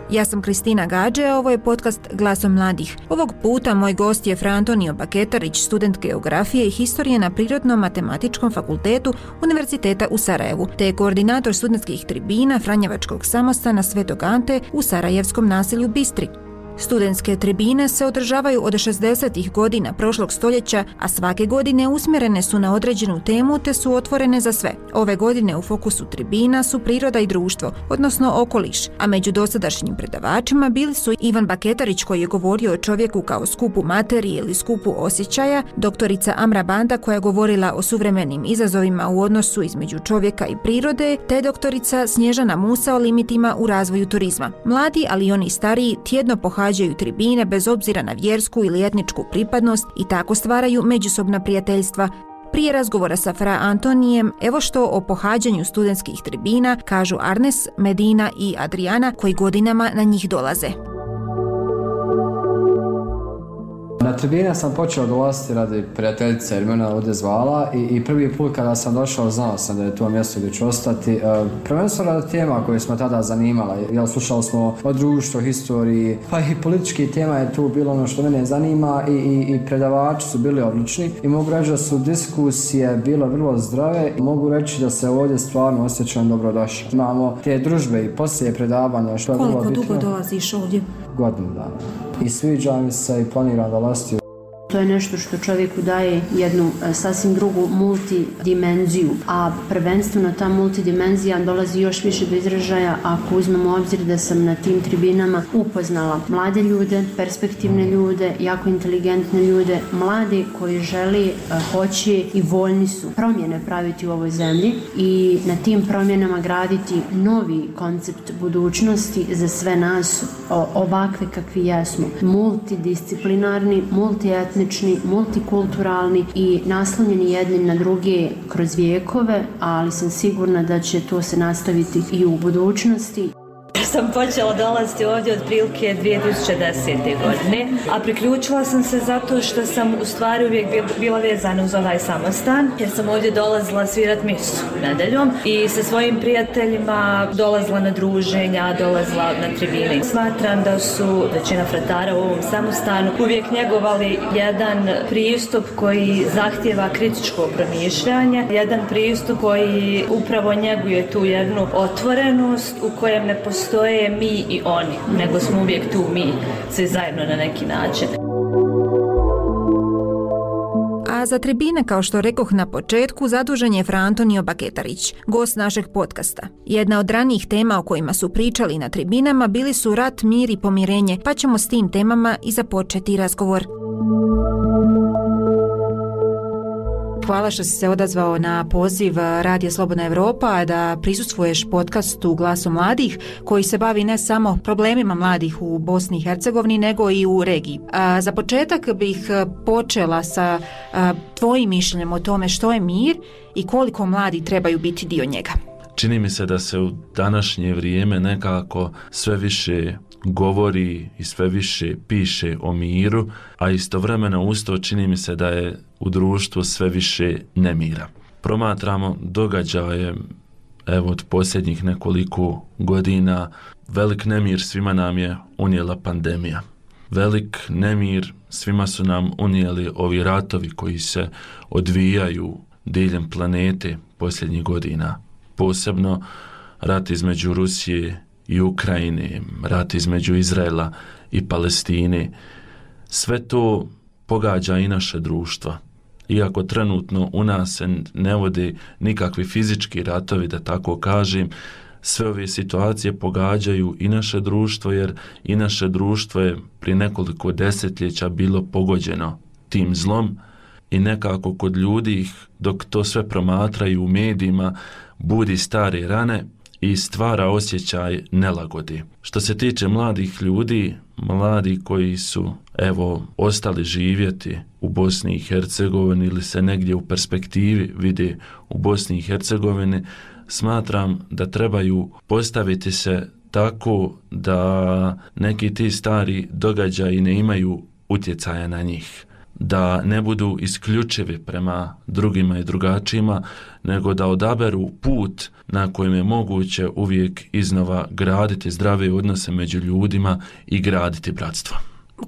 Ja sam Kristina Gađe, a ovo je podcast Glasom mladih. Ovog puta moj gost je Fra Antonio Baketarić, student geografije i historije na Prirodno-matematičkom fakultetu Univerziteta u Sarajevu, te je koordinator studentskih tribina Franjevačkog samostana Svetog Ante u sarajevskom naselju Bistri. Studentske tribine se održavaju od šezdesetih godina prošlog stoljeća, a svake godine usmjerene su na određenu temu te su otvorene za sve. Ove godine u fokusu tribina su priroda i društvo, odnosno okoliš, a među dosadašnjim predavačima bili su Ivan Baketarić koji je govorio o čovjeku kao skupu materije ili skupu osjećaja, doktorica Amra Banda koja je govorila o suvremenim izazovima u odnosu između čovjeka i prirode, te doktorica Snježana Musa o limitima u razvoju turizma. Mladi, ali i oni stariji, tjedno pohađaju Pohađaju tribine bez obzira na vjersku ili etničku pripadnost i tako stvaraju međusobna prijateljstva. Prije razgovora sa Fra Antonijem, evo što o pohađanju studentskih tribina kažu Arnes, Medina i Adriana koji godinama na njih dolaze. Na tribine sam počeo dolaziti radi prijateljice jer me ona ovdje zvala i, i prvi put kada sam došao znao sam da je to mjesto gdje ću ostati. E, prvenstveno radi tema koje smo tada zanimala, jer slušali smo o društvu, historiji, pa i politički tema je tu bilo ono što mene zanima i, i, i predavači su bili odlični i mogu reći da su diskusije bile vrlo zdrave i mogu reći da se ovdje stvarno osjećam dobrodošao. Imamo te družbe i poslije predavanja što je vrlo bitno. Koliko dugo dolaziš ovdje? Godinu dana. I sviđa mi se i planiram dolaziti. To je nešto što čovjeku daje jednu sasvim drugu multidimenziju, a prvenstveno ta multidimenzija dolazi još više do izražaja ako uzmemo u obzir da sam na tim tribinama upoznala mlade ljude, perspektivne ljude, jako inteligentne ljude, mlade koji želi, hoće i voljni su promjene praviti u ovoj zemlji i na tim promjenama graditi novi koncept budućnosti za sve nas ovakve kakvi jesmo. Multidisciplinarni, multietnični, multikulturalni i naslonjeni jedni na druge kroz vijekove, ali sam sigurna da će to se nastaviti i u budućnosti. Sam počela dolaziti ovdje od prilike dvije tisuće desete. godine, a priključila sam se zato što sam u stvari uvijek bila vezana uz ovaj samostan, jer sam ovdje dolazila svirat misu nedeljom i sa svojim prijateljima dolazila na druženja, dolazila na tribine. Smatram da su većina fratara u ovom samostanu uvijek njegovali jedan pristup koji zahtijeva kritičko promišljanje, jedan pristup koji upravo njeguje tu jednu otvorenost u kojem ne postoji je mi i oni, nego smo uvijek tu mi, svi zajedno na neki način. A za tribine, kao što rekoh na početku, zadužen je Fra Antonio Baketarić, gost našeg podcasta. Jedna od ranijih tema o kojima su pričali na tribinama bili su rat, mir i pomirenje, pa ćemo s tim temama i započeti razgovor. Hvala što si se odazvao na poziv Radija Slobodna Evropa da prisustvuješ podcastu Glasu mladih koji se bavi ne samo problemima mladih u Bosni i Hercegovini nego i u regiji. A, za početak bih počela sa a, tvojim mišljenjem o tome što je mir i koliko mladi trebaju biti dio njega. Čini mi se da se u današnje vrijeme nekako sve više govori i sve više piše o miru, a istovremeno usto čini mi se da je u društvu sve više nemira. Promatramo događaje, evo od posljednjih nekoliko godina, velik nemir svima nam je unijela pandemija. velik nemir svima su nam unijeli ovi ratovi koji se odvijaju diljem planete posljednjih godina. Posebno rat između Rusije i Ukrajine, rat između Izraela i Palestine. Sve to pogađa i naše društva. Iako trenutno u nas se ne vode nikakvi fizički ratovi, da tako kažem, sve ove situacije pogađaju i naše društvo, jer i naše društvo je prije nekoliko desetljeća bilo pogođeno tim zlom i nekako kod ljudi, dok to sve promatraju u medijima, budi stare rane i stvara osjećaj nelagodi. Što se tiče mladih ljudi, mladi koji su evo ostali živjeti u Bosni i Hercegovini ili se negdje u perspektivi vide u Bosni i Hercegovini, smatram da trebaju postaviti se tako da neki ti stari događaji ne imaju utjecaja na njih, da ne budu isključivi prema drugima i drugačijima, nego da odaberu put na kojem je moguće uvijek iznova graditi zdrave odnose među ljudima i graditi bratstvo.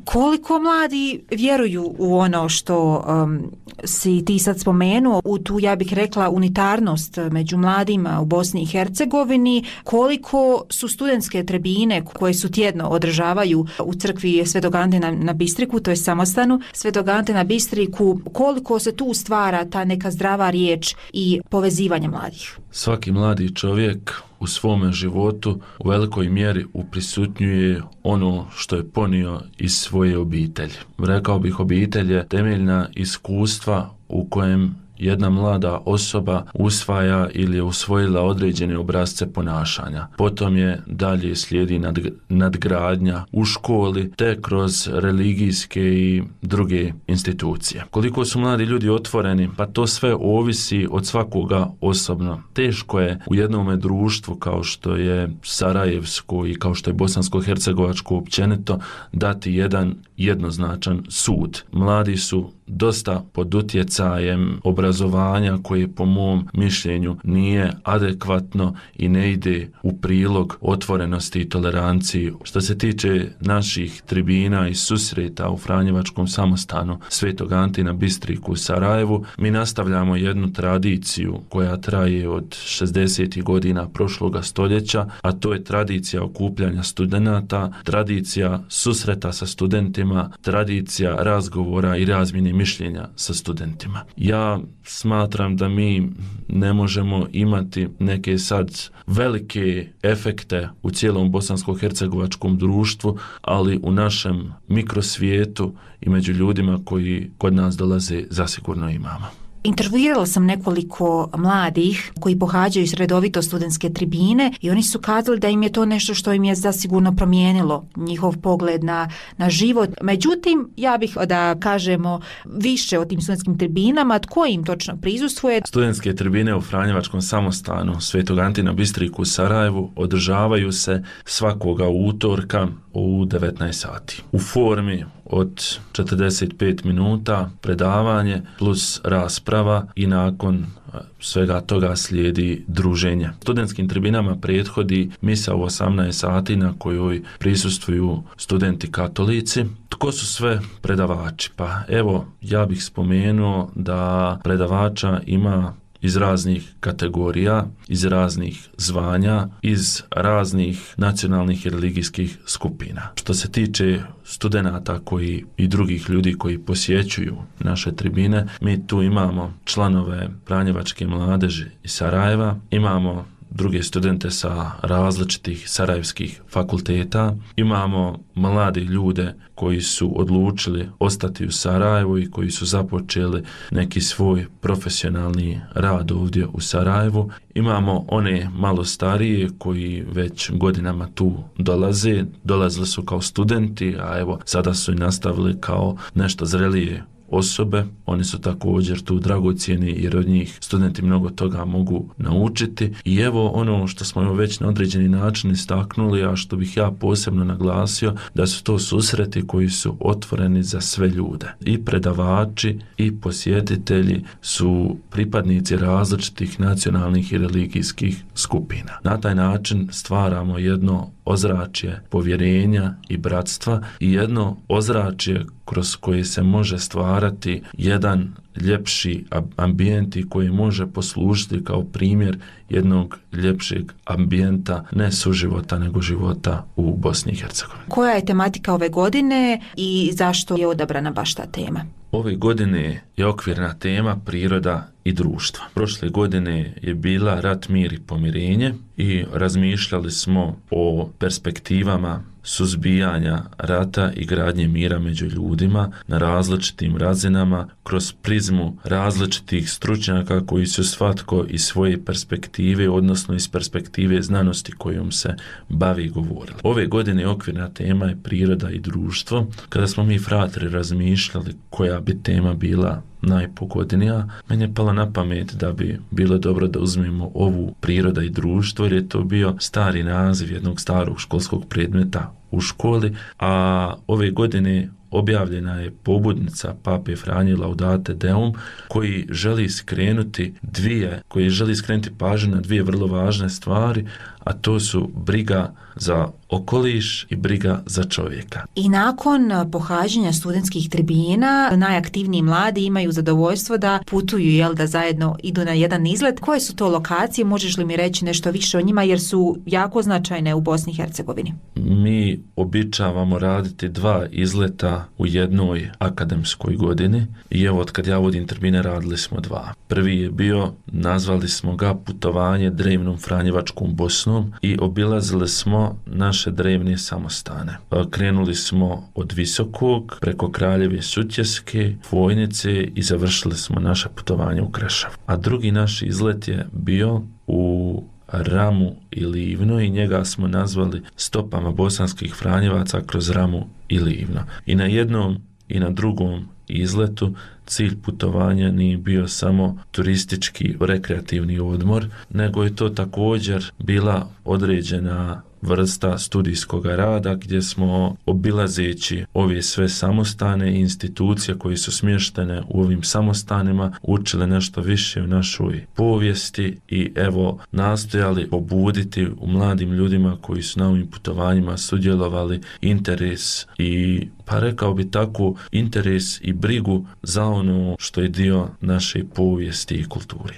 Koliko mladi vjeruju u ono što um, si ti sad spomenuo, u tu, ja bih rekla, unitarnost među mladima u Bosni i Hercegovini, koliko su studentske tribine koje su tjedno održavaju u crkvi Svetog Ante na, na Bistriku, to je samostanu Svetog Ante na Bistriku, koliko se tu stvara ta neka zdrava riječ i povezivanje mladih? Svaki mladi čovjek u svome životu u velikoj mjeri uprisutnjuje ono što je ponio iz svoje obitelji. Rekao bih, obitelj je temeljna iskustva u kojem jedna mlada osoba usvaja ili je usvojila određene obrasce ponašanja. Potom je dalje slijedi nad, nadgradnja u školi te kroz religijske i druge institucije. Koliko su mladi ljudi otvoreni, pa to sve ovisi od svakoga osobno. Teško je u jednome društvu kao što je sarajevsko i kao što je bosansko-hercegovačko općenito dati jedan jednoznačan sud. Mladi su dosta pod utjecajem obrazovanja koje po mom mišljenju nije adekvatno i ne ide u prilog otvorenosti i toleranciji. Što se tiče naših tribina i susreta u Franjevačkom samostanu Svetog Ante na Bistriku u Sarajevu, mi nastavljamo jednu tradiciju koja traje od šezdesetih godina prošloga stoljeća, a to je tradicija okupljanja studenata, tradicija susreta sa studentima, tradicija razgovora i razmjene mišljenja sa studentima. Ja smatram da mi ne možemo imati neke sad velike efekte u cijelom bosansko-hercegovačkom društvu, ali u našem mikrosvijetu i među ljudima koji kod nas dolaze zasigurno imamo. Intervjuirala sam nekoliko mladih koji pohađaju redovito studentske tribine i oni su kazali da im je to nešto što im je zasigurno promijenilo njihov pogled na, na život. Međutim, ja bih da kažemo više o tim studentskim tribinama, tko im točno prisustvuje. Studentske tribine u Franjevačkom samostanu Svetog Ante na Bistriku u Sarajevu održavaju se svakoga utorka u devetnaest sati. U formi od četrdeset pet minuta predavanje plus rasprava i nakon svega toga slijedi druženje. Studentskim tribinama prethodi misa u osamnaest sati na kojoj prisustvuju studenti katolici. Tko su sve predavači? Pa evo, ja bih spomenuo da predavača ima iz raznih kategorija, iz raznih zvanja, iz raznih nacionalnih i religijskih skupina. Što se tiče studenata koji i drugih ljudi koji posjećuju naše tribine, mi tu imamo članove Franjevačke mladeži iz Sarajeva, imamo druge studente sa različitih sarajevskih fakulteta, imamo mlade ljude koji su odlučili ostati u Sarajevu i koji su započeli neki svoj profesionalni rad ovdje u Sarajevu. Imamo one malo starije koji već godinama tu dolaze, dolazili su kao studenti, a evo sada su i nastavili kao nešto zrelije osobe, oni su također tu dragocjeni jer od njih studenti mnogo toga mogu naučiti. I evo ono što smo već na određeni način istaknuli, a što bih ja posebno naglasio, da su to susreti koji su otvoreni za sve ljude. I predavači i posjetitelji su pripadnici različitih nacionalnih i religijskih skupina. Na taj način stvaramo jedno ozračje povjerenja i bratstva i jedno ozračje kroz koje se može stvarati jedan ljepši ambijent i koji može poslužiti kao primjer jednog ljepšeg ambijenta, ne suživota nego života u Bosni i Hercegovini. Koja je tematika ove godine i zašto je odabrana baš ta tema? Ove godine je okvirna tema priroda i društva. Prošle godine je bila rat, mir i pomirenje i razmišljali smo o perspektivama suzbijanja rata i gradnje mira među ljudima na različitim razinama kroz prizmu različitih stručnjaka koji su svatko iz svoje perspektive, odnosno iz perspektive znanosti kojom se bavi govorili. Ove godine okvirna tema je priroda i društvo. Kada smo mi fratri razmišljali koja bi tema bila najpogodnija, meni je pala na pamet da bi bilo dobro da uzmemo ovu priroda i društvo, jer je to bio stari naziv jednog starog školskog predmeta u školi, a ove godine objavljena je pobudnica Pape Franje Laudate Deum koji želi skrenuti dvije, koji želi skrenuti pažnju na dvije vrlo važne stvari, a to su briga za okoliš i briga za čovjeka. I nakon pohađanja studentskih tribina, najaktivniji mladi imaju zadovoljstvo da putuju, jel, da zajedno idu na jedan izlet. Koje su to lokacije? Možeš li mi reći nešto više o njima, jer su jako značajne u Bosni i Hercegovini? Mi običavamo raditi dva izleta u jednoj akademskoj godini i evo od kad ja vodim tribine radili smo dva. Prvi je bio, nazvali smo ga putovanje drevnom Franjevačkom Bosnom i obilazili smo naše drevne samostane. Krenuli smo od Visokog preko Kraljeve Sutjeske, Vojnice i završili smo naše putovanje u Krešev. A drugi naš izlet je bio u Ramu i Livno i njega smo nazvali stopama bosanskih Franjevaca kroz Ramu i Livno. I na jednom i na drugom izletu cilj putovanja nije bio samo turistički rekreativni odmor, nego je to također bila određena vrsta studijskog rada gdje smo obilazeći ove sve samostane i institucije koje su smještene u ovim samostanima učili nešto više u našoj povijesti i evo nastojali pobuditi u mladim ljudima koji su na ovim putovanjima sudjelovali interes i, pa rekao bi tako, interes i brigu za ono što je dio naše povijesti i kulturi.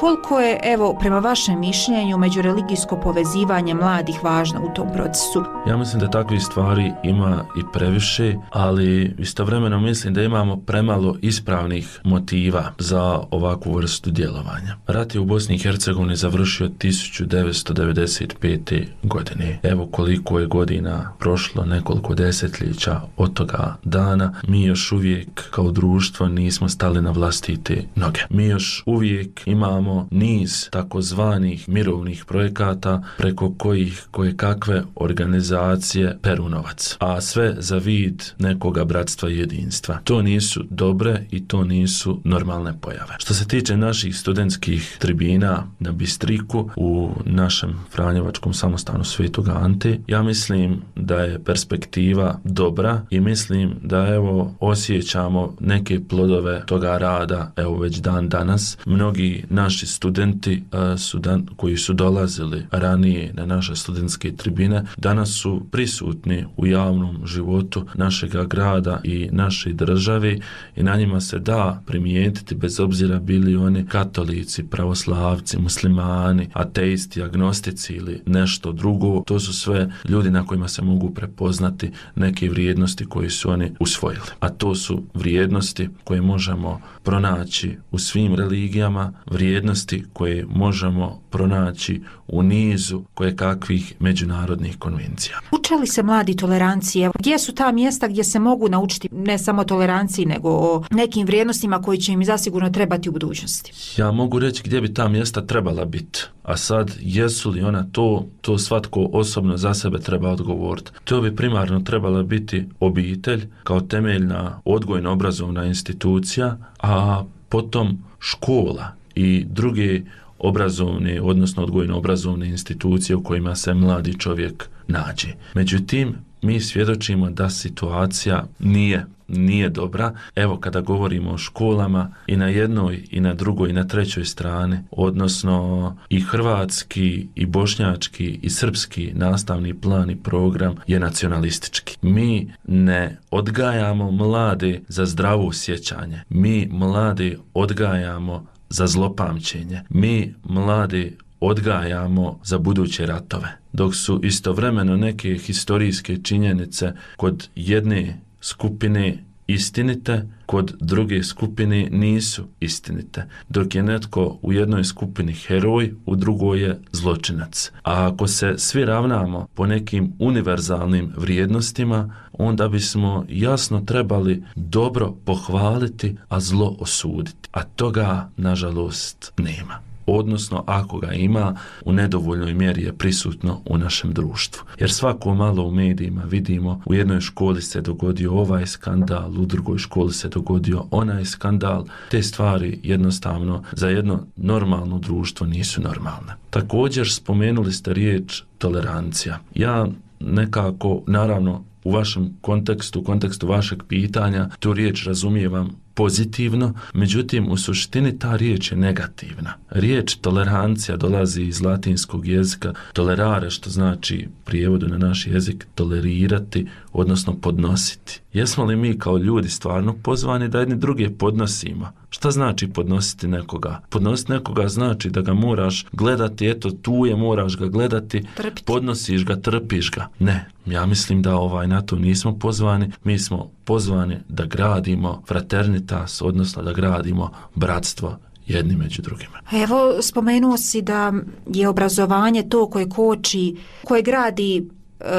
Koliko je, evo, prema vašem mišljenju, međureligijsko povezivanje mladih važno u tom procesu? Ja mislim da takvih stvari ima i previše, ali istovremeno mislim da imamo premalo ispravnih motiva za ovakvu vrstu djelovanja. Rat je u Bosni i Hercegovini završio tisuću devetsto devedeset pete. godine. Evo koliko je godina prošlo, nekoliko desetljeća od toga dana, mi još uvijek kao društvo nismo stali na vlastite noge. Mi još uvijek imamo niz takozvanih mirovnih projekata preko kojih koje kakve organizacije peru novac, a sve za vid nekoga bratstva i jedinstva. To nisu dobre i to nisu normalne pojave. Što se tiče naših studentskih tribina na Bistriku u našem Franjevačkom samostanu Svetog Ante, ja mislim da je perspektiva dobra i mislim da evo osjećamo neke plodove toga rada evo već dan danas. Mnogi naši studenti uh, su dan, koji su dolazili ranije na naše studentske tribine danas su prisutni u javnom životu našega grada i naše države i na njima se da primijetiti bez obzira bili oni katolici, pravoslavci, muslimani, ateisti, agnostici ili nešto drugo. To su sve ljudi na kojima se mogu prepoznati neke vrijednosti koje su oni usvojili. A to su vrijednosti koje možemo pronaći u svim religijama, vrijednosti vrijednosti koje možemo pronaći u nizu koje kakvih međunarodnih konvencija. Uče li se mladi tolerancije? Gdje su ta mjesta gdje se mogu naučiti ne samo toleranciji, nego o nekim vrijednostima koji će im zasigurno trebati u budućnosti? Ja mogu reći gdje bi ta mjesta trebala biti. A sad, jesu li ona to, to svatko osobno za sebe treba odgovoriti. To bi primarno trebala biti obitelj kao temeljna odgojno-obrazovna institucija, a potom škola i druge obrazovne, odnosno odgojno-obrazovne institucije u kojima se mladi čovjek nađe. Međutim, mi svjedočimo da situacija nije nije dobra. Evo, kada govorimo o školama, i na jednoj i na drugoj i na trećoj strani, odnosno i hrvatski i bošnjački i srpski nastavni plan i program je nacionalistički. Mi ne odgajamo mlade za zdravo sjećanje. Mi mlade odgajamo za zlopamćenje. Mi mlade odgajamo za buduće ratove. Dok su istovremeno neke historijske činjenice kod jedne skupine istinite, kod druge skupine nisu istinite. Dok je netko u jednoj skupini heroj, u drugoj je zločinac. A ako se svi ravnamo po nekim univerzalnim vrijednostima, onda bismo jasno trebali dobro pohvaliti, a zlo osuditi. A toga, nažalost, nema. Odnosno, ako ga ima, u nedovoljnoj mjeri je prisutno u našem društvu. Jer svako malo u medijima vidimo, u jednoj školi se dogodio ovaj skandal, u drugoj školi se dogodio onaj skandal. Te stvari jednostavno za jedno normalno društvo nisu normalne. Također spomenuli ste riječ tolerancija. Ja nekako, naravno, u vašem kontekstu, u kontekstu vašeg pitanja, tu riječ razumijevam pozitivno, međutim u suštini ta riječ je negativna. Riječ tolerancija dolazi iz latinskog jezika tolerare, što znači prijevodu na naš jezik tolerirati, odnosno podnositi. Jesmo li mi kao ljudi stvarno pozvani da jedni druge podnosimo? Šta znači podnositi nekoga? Podnositi nekoga znači da ga moraš gledati, eto tu je, moraš ga gledati, trpiti. Podnosiš ga, trpiš ga. Ne, ja mislim da ovaj na to nismo pozvani, mi smo pozvani da gradimo fraternitas, odnosno da gradimo bratstvo jedni među drugima. Evo, spomenuo si da je obrazovanje to koje koči, koje gradi,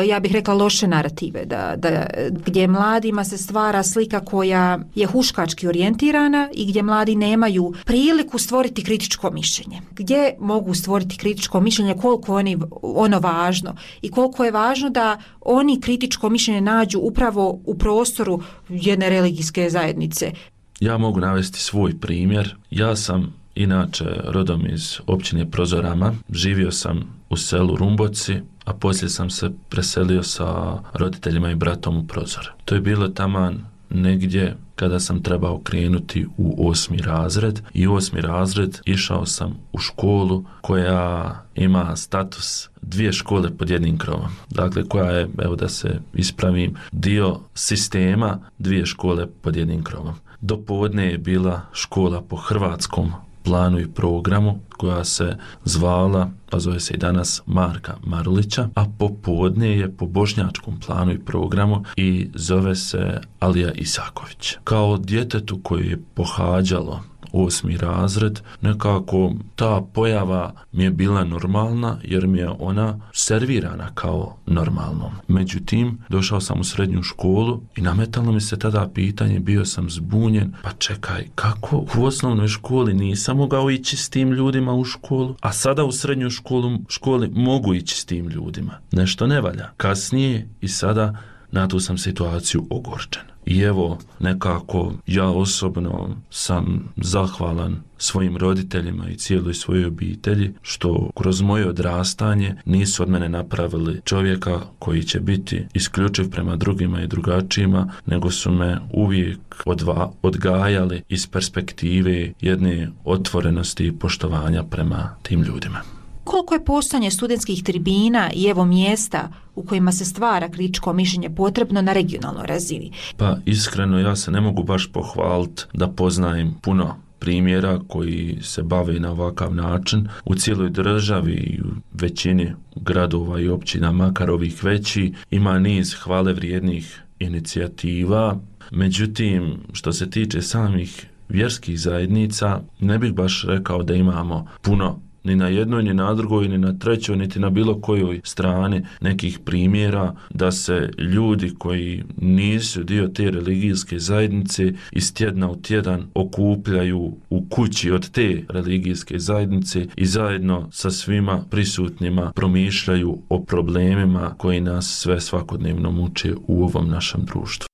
ja bih rekla, loše narative, da, da, gdje mladima se stvara slika koja je huškački orijentirana i gdje mladi nemaju priliku stvoriti kritičko mišljenje. Gdje mogu stvoriti kritičko mišljenje, koliko oni, ono važno i koliko je važno da oni kritičko mišljenje nađu upravo u prostoru jedne religijske zajednice. Ja mogu navesti svoj primjer. Ja sam inače rodom iz općine Prozorama, živio sam u selu Rumboci, a poslije sam se preselio sa roditeljima i bratom u Prozor. To je bilo taman negdje kada sam trebao krenuti u osmi razred i u osmi razred išao sam u školu koja ima status dvije škole pod jednim krovom. Dakle, koja je, evo da se ispravim, dio sistema dvije škole pod jednim krovom. Do podne je bila škola po hrvatskom planu i programu koja se zvala, pa zove se i danas, Marka Marulića, a popodne je po bošnjačkom planu i programu i zove se Alija Isaković. Kao djetetu koje je pohađalo osmi razred, nekako ta pojava mi je bila normalna jer mi je ona servirana kao normalnom. Međutim, došao sam u srednju školu i nametalo mi se tada pitanje, bio sam zbunjen, pa čekaj, kako u osnovnoj školi nisam mogao ići s tim ljudima u školu, a sada u srednjoj školu, školi mogu ići s tim ljudima. Nešto ne valja. Kasnije i sada na tu sam situaciju ogorčen. I evo, nekako ja osobno sam zahvalan svojim roditeljima i cijeloj svojoj obitelji što kroz moje odrastanje nisu od mene napravili čovjeka koji će biti isključiv prema drugima i drugačijima, nego su me uvijek odva, odgajali iz perspektive jedne otvorenosti i poštovanja prema tim ljudima. Koliko je postojanje studentskih tribina i evo mjesta u kojima se stvara kritičko mišljenje potrebno na regionalnoj razini? Pa iskreno ja se ne mogu baš pohvaliti da poznajem puno primjera koji se bave na ovakav način. U cijeloj državi i u većini gradova i općina, makar ovih veći, ima niz hvale vrijednih inicijativa. Međutim, što se tiče samih vjerskih zajednica ne bih baš rekao da imamo puno ni na jednoj, ni na drugoj, ni na trećoj, niti na bilo kojoj strani nekih primjera da se ljudi koji nisu dio te religijske zajednice iz tjedna u tjedan okupljaju u kući od te religijske zajednice i zajedno sa svima prisutnima promišljaju o problemima koji nas sve svakodnevno muče u ovom našem društvu.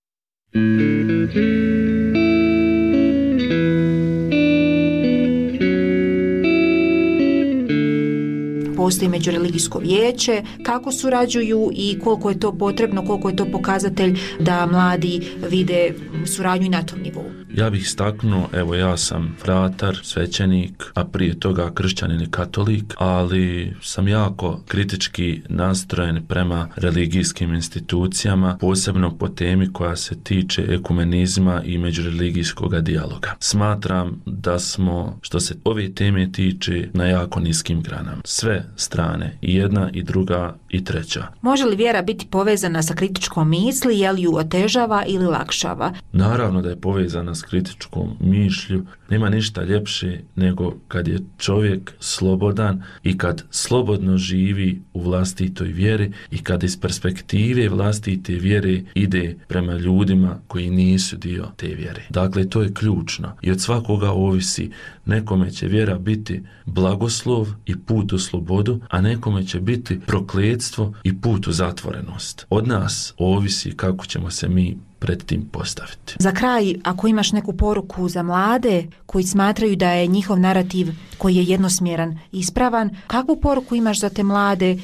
Postoji međureligijsko vijeće, kako surađuju i koliko je to potrebno, koliko je to pokazatelj da mladi vide suradnju i na tom nivou. Ja bih istaknuo, evo ja sam fratar, svećenik, a prije toga kršćanin i katolik, ali sam jako kritički nastrojen prema religijskim institucijama, posebno po temi koja se tiče ekumenizma i međureligijskog dijaloga. Smatram da smo, što se ove teme tiče, na jako niskim granama. Sve strane, i jedna i druga i treća. Može li vjera biti povezana sa kritičkom misli, je li ju otežava ili lakšava? Naravno da je povezana s kritičkom mišlju. Nema ništa ljepše nego kad je čovjek slobodan i kad slobodno živi u vlastitoj vjeri i kad iz perspektive vlastite vjere ide prema ljudima koji nisu dio te vjere. Dakle, to je ključno i od svakoga ovisi. Nekome će vjera biti blagoslov i put u slobodu, a nekome će biti prokletstvo i put u zatvorenost. Od nas ovisi kako ćemo se mi pred tim postaviti. Za kraj, ako imaš neku poruku za mlade koji smatraju da je njihov narativ koji je jednosmjeran ispravan, kakvu poruku imaš za te mlade,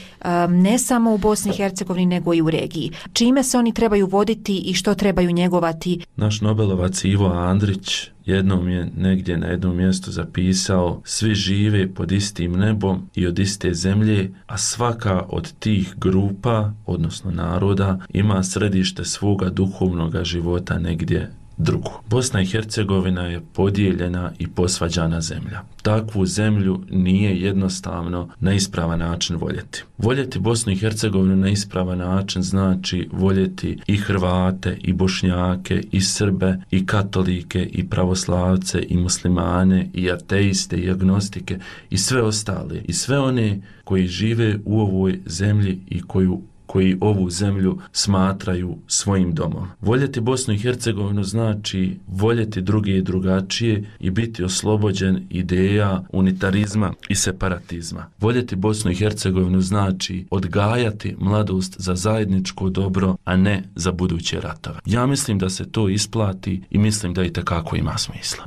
ne samo u Bosni i Hercegovini nego i u regiji? Čime se oni trebaju voditi i što trebaju njegovati? Naš Nobelovac Ivo Andrić jednom je negdje na jednom mjestu zapisao: svi žive pod istim nebom i od iste zemlje, a svaka od tih grupa, odnosno naroda, ima središte svoga duhovnoga života negdje drugu. Bosna i Hercegovina je podijeljena i posvađana zemlja. Takvu zemlju nije jednostavno na ispravan način voljeti. Voljeti Bosnu i Hercegovinu na ispravan način znači voljeti i Hrvate, i Bošnjake, i Srbe, i katolike, i pravoslavce, i muslimane, i ateiste, i agnostike, i sve ostale, i sve one koji žive u ovoj zemlji i koju koji ovu zemlju smatraju svojim domom. Voljeti Bosnu i Hercegovinu znači voljeti druge i drugačije i biti oslobođen ideja unitarizma i separatizma. Voljeti Bosnu i Hercegovinu znači odgajati mladost za zajedničko dobro, a ne za buduće ratove. Ja mislim da se to isplati i mislim da i tekako ima smisla.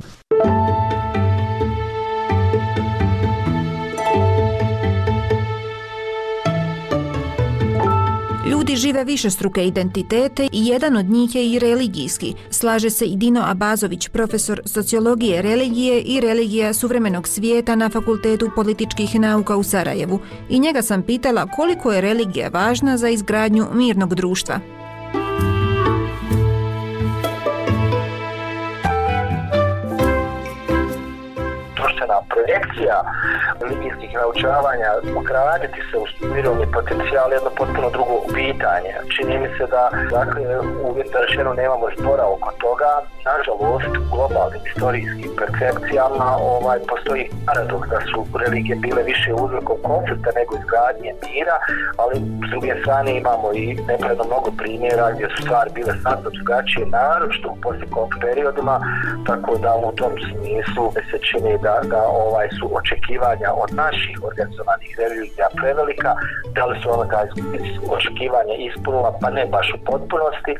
Ljudi žive višestruke identitete i jedan od njih je i religijski. Slaže se i Dino Abazović, profesor sociologije religije i religija suvremenog svijeta na Fakultetu političkih nauka u Sarajevu. I njega sam pitala koliko je religija važna za izgradnju mirnog društva. Projekcija religijskih naučavanja ugraditi se u mirovni potencijal je jedno potpuno drugo pitanje. Čini mi se da, dakle, uvjetno rečeno nemamo zbora oko toga. Nažalost, u globalnim istorijskim percepcijama ovaj, postoji paradoks da su religije bile više uzrokom konflikta nego izgradnje mira, ali s druge strane imamo i nepravno mnogo primjera gdje su stvari bile sasvim drugačije, naročito u posljekonfliktnim periodima, tako da u tom smislu se čini da, da ovaj su očekivanja od naših organizovanih religija prevelika, da li su ona ta očekivanja ispunila, pa ne baš u potpunosti,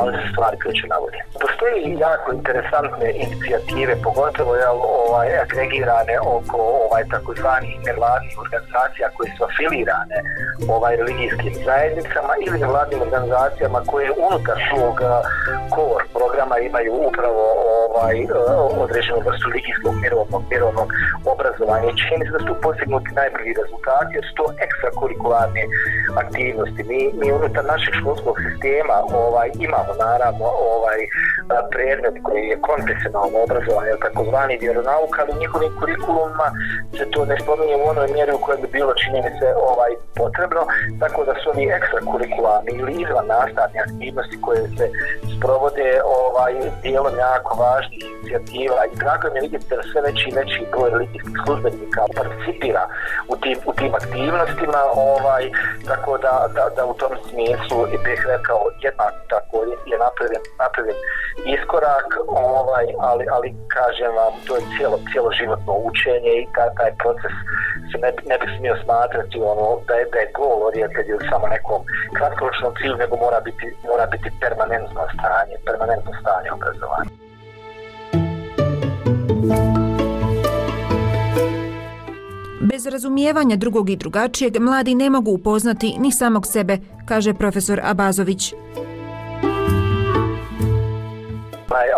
ali se stvari kreću na bolje. Postoji jako interesantne inicijative, pogotovo je, ovaj, agregirane oko ovaj, takozvanih nevladnih organizacija koje su afilirane ovaj, religijskim zajednicama ili nevladnim organizacijama koje unutar svog core programa imaju upravo ovaj, određenu vrstu religijskog mirovnog, mirovnog obrazovanja. I čini se da su postignuti najbolji rezultati jer su to ekstrakurikularne aktivnosti. Mi, mi unutar našeg školskog sistema ovaj, imamo naravno ovaj, predmet koji je konfesionalno obrazovanje, takozvani vjeronauk, ali u njihovim kurikulumima se to ne spominje u onoj mjeri u kojoj bi bilo, čini mi se, ovaj, potrebno, tako da su oni ekstrakurikularni ili izvan nastavne aktivnosti koje se sprovode ovaj, dijelom jako važnih inicijativa i drago mi je vidjeti da sve veći i veći broj religijskih službenika participira u tim, u tim aktivnostima, ovaj, tako da, da, da u tom smislu bih rekao jednak tako je napravljen, napravljen iskorak, ovaj, ali, ali kažem vam, to je cijelo, cijelo životno učenje i taj, taj proces se ne, ne bi smio smatrati ono, da je, da je gol orijented ili samo nekom kratkoročnom cilju, nego mora biti, mora biti permanentno stanje, permanentno stanje obrazovanja. Bez razumijevanja drugog i drugačijeg mladi ne mogu upoznati ni samog sebe, kaže profesor Abazović.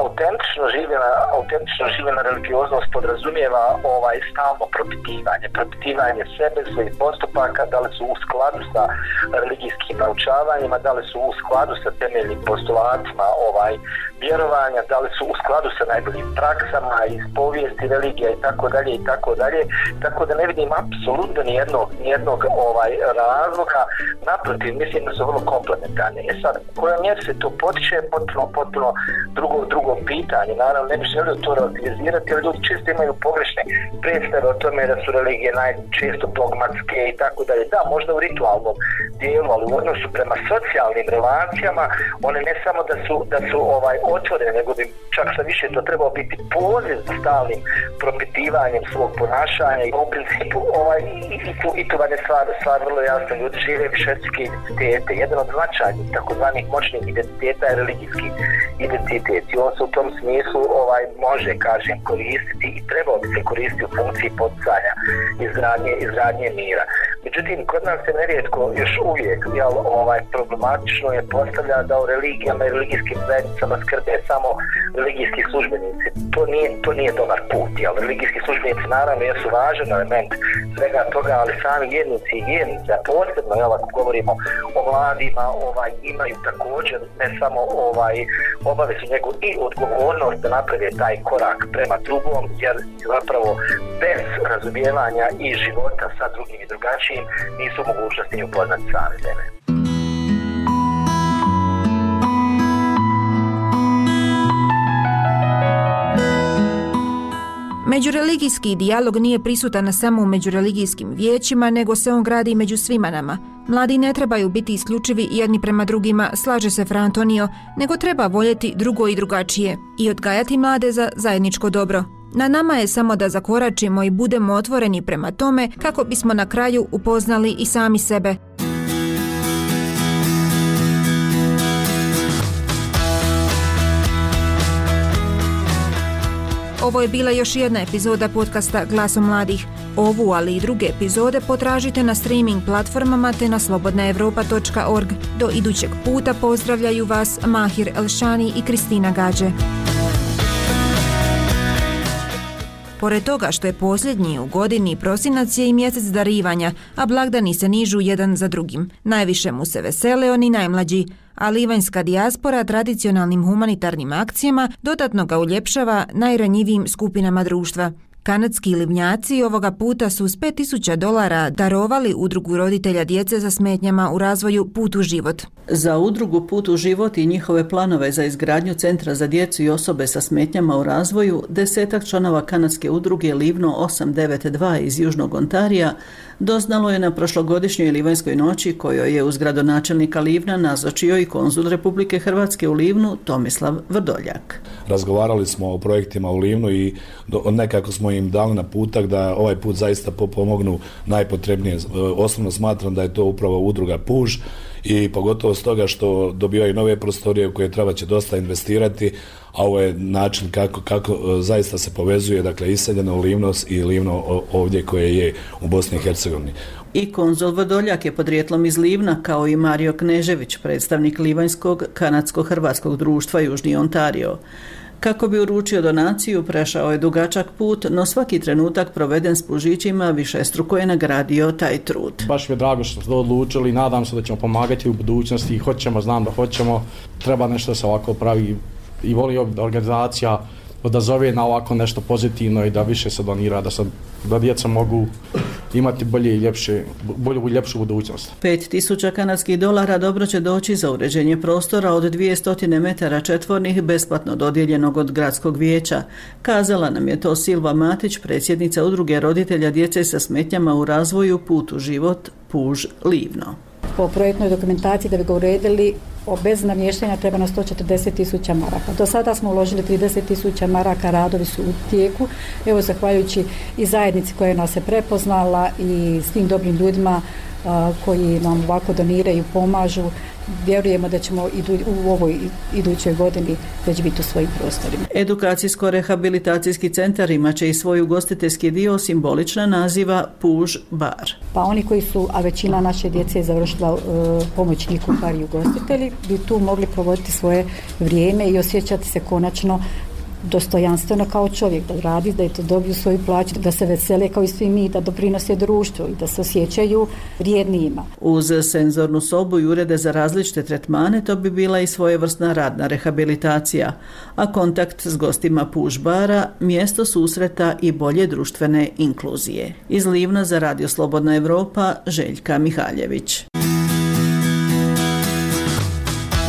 Autentično življena, autentično življena religioznost podrazumijeva ovaj stalno propitivanje, propitivanje sebe, svojih postupaka, da li su u skladu sa religijskim naučavanjima, da li su u skladu sa temeljnim postulatima ovaj vjerovanja, da li su u skladu sa najboljim praksama iz povijesti religija i tako dalje i tako dalje, tako da ne vidim apsolutno ni jednog, ni jednog ovaj razloga, naprotiv, mislim da su vrlo komplementarne. E sad, koja mjera se to potiče, potpuno, potpuno drugo drugo pitanje. Naravno, ne bih želio to relativizirati, ali ljudi često imaju pogrešne predstave o tome da su religije najčesto dogmatske i tako dalje. Da, možda u ritualnom dijelu, ali u odnosu prema socijalnim relacijama, one ne samo da su, da su ovaj, otvorene, nego bi čak sa više to trebao biti poziv za stalnim propitivanjem svog ponašanja i u principu ovaj, i, i, tu, i tu vam je stvar, stvar vrlo jasno. Ljudi žive višetske identitete. Jedan od značajnih takozvanih moćnih identiteta je religijski identitet. I on se u tom smislu ovaj, može, kažem, koristiti i trebao bi se koristiti u funkciji poticanja izgradnje, izgradnje mira. Međutim, kod nas se nerijetko još uvijek jel, ovaj, problematično je postavlja da u religijama i religijskim zajednicama skrbe samo religijski službenici. To nije, to nije dobar put. Jel? Religijski službenici naravno jesu važan element svega toga, ali sami vjernici i vjernice, a posebno jel, ako govorimo o mladima, ovaj, imaju također ne samo ovaj, obavezu nego i odgovornost da naprave taj korak prema drugom, jer zapravo bez razumijevanja i života sa drugim i drugačijim nisu mogućnosti ni upoznati sami sebe. Međureligijski dijalog nije prisutan samo u međureligijskim vijećima, nego se on gradi među svima nama. Mladi ne trebaju biti isključivi jedni prema drugima, slaže se Fra Antonio, nego treba voljeti drugo i drugačije i odgajati mlade za zajedničko dobro. Na nama je samo da zakoračimo i budemo otvoreni prema tome kako bismo na kraju upoznali i sami sebe. Ovo je bila još jedna epizoda podcasta Glasom mladih. Ovu, ali i druge epizode potražite na streaming platformama te na slobodna evropa točka org. Do idućeg puta pozdravljaju vas Mahir Elšani i Kristina Gađe. Pored toga što je posljednji u godini, prosinac je i mjesec darivanja, a blagdani se nižu jedan za drugim. Najviše mu se vesele oni najmlađi, a livanjska dijaspora tradicionalnim humanitarnim akcijama dodatno ga uljepšava najranjivijim skupinama društva. Kanadski livnjaci ovoga puta su s pet tisuća dolara darovali udrugu roditelja djece sa smetnjama u razvoju Put u život. Za udrugu Put u život i njihove planove za izgradnju centra za djecu i osobe sa smetnjama u razvoju, desetak članova kanadske udruge Livno osam devet dva iz Južnog Ontarija doznalo je na prošlogodišnjoj Livanjskoj noći, kojoj je uz gradonačelnika Livna nazočio i konzul Republike Hrvatske u Livnu Tomislav Vrdoljak. Razgovarali smo o projektima u Livnu i nekako smo im dali naputak da ovaj put zaista pomognu najpotrebnije. Osnovno smatram da je to upravo udruga Puž i pogotovo stoga što dobivaju nove prostorije u koje treba će dosta investirati, a ovo je način kako, kako zaista se povezuje, dakle, iseljeno Livnos i Livno ovdje koje je u Bosni i Hercegovini. I konzul Vrdoljak je podrijetlom iz Livna, kao i Mario Knežević, predstavnik Livanjskog kanadsko-hrvatskog društva Južni Ontario. Kako bi uručio donaciju, prešao je dugačak put, no svaki trenutak proveden s pužićima višestruko je nagradio taj trud. Baš mi je drago što smo odlučili, nadam se da ćemo pomagati u budućnosti i hoćemo, znam da hoćemo, treba nešto da se ovako pravi i volio da organizacija odazove na ovako nešto pozitivno i da više se donira, da, se, da djeca mogu imati bolje i ljepše, bolju i ljepšu budućnost. pet tisuća kanadskih dolara dobro će doći za uređenje prostora od dvjesto metara četvornih besplatno dodijeljenog od gradskog vijeća. Kazala nam je to Silva Matić, predsjednica udruge roditelja djece sa smetnjama u razvoju Put u život Puž Livno. Po projektnoj dokumentaciji da bi ga uredili, bez namještenja treba na sto četrdeset tisuća maraka. Do sada smo uložili trideset tisuća maraka, radovi su u tijeku. Evo, zahvaljujući i zajednici koja nas je prepoznala i svim dobrim ljudima a, koji nam ovako doniraju, pomažu, vjerujemo da ćemo idu, u ovoj idućoj godini već biti u svojim prostorima. Edukacijsko-rehabilitacijski centar imat će i svoj ugostiteljski dio, simbolična naziva Puž bar. Pa oni koji su, a većina naše djece je završila uh, pomoćni kuhari i ugostitelji, bi tu mogli provoditi svoje vrijeme i osjećati se konačno dostojanstveno kao čovjek, da radi, da je to dobiju svoju plaću, da se vesele kao i svi mi, da doprinose društvu i da se osjećaju vrijednijima. Uz senzornu sobu i urede za različite tretmane, to bi bila i svojevrsna radna rehabilitacija, a kontakt s gostima Puž bara mjesto susreta i bolje društvene inkluzije. Iz Livna za Radio Slobodna Evropa, Željka Mihaljević.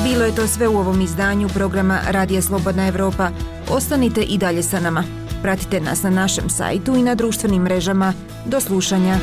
Bilo je to sve u ovom izdanju programa Radija Slobodna Evropa. Ostanite i dalje sa nama. Pratite nas na našem sajtu i na društvenim mrežama. Do slušanja.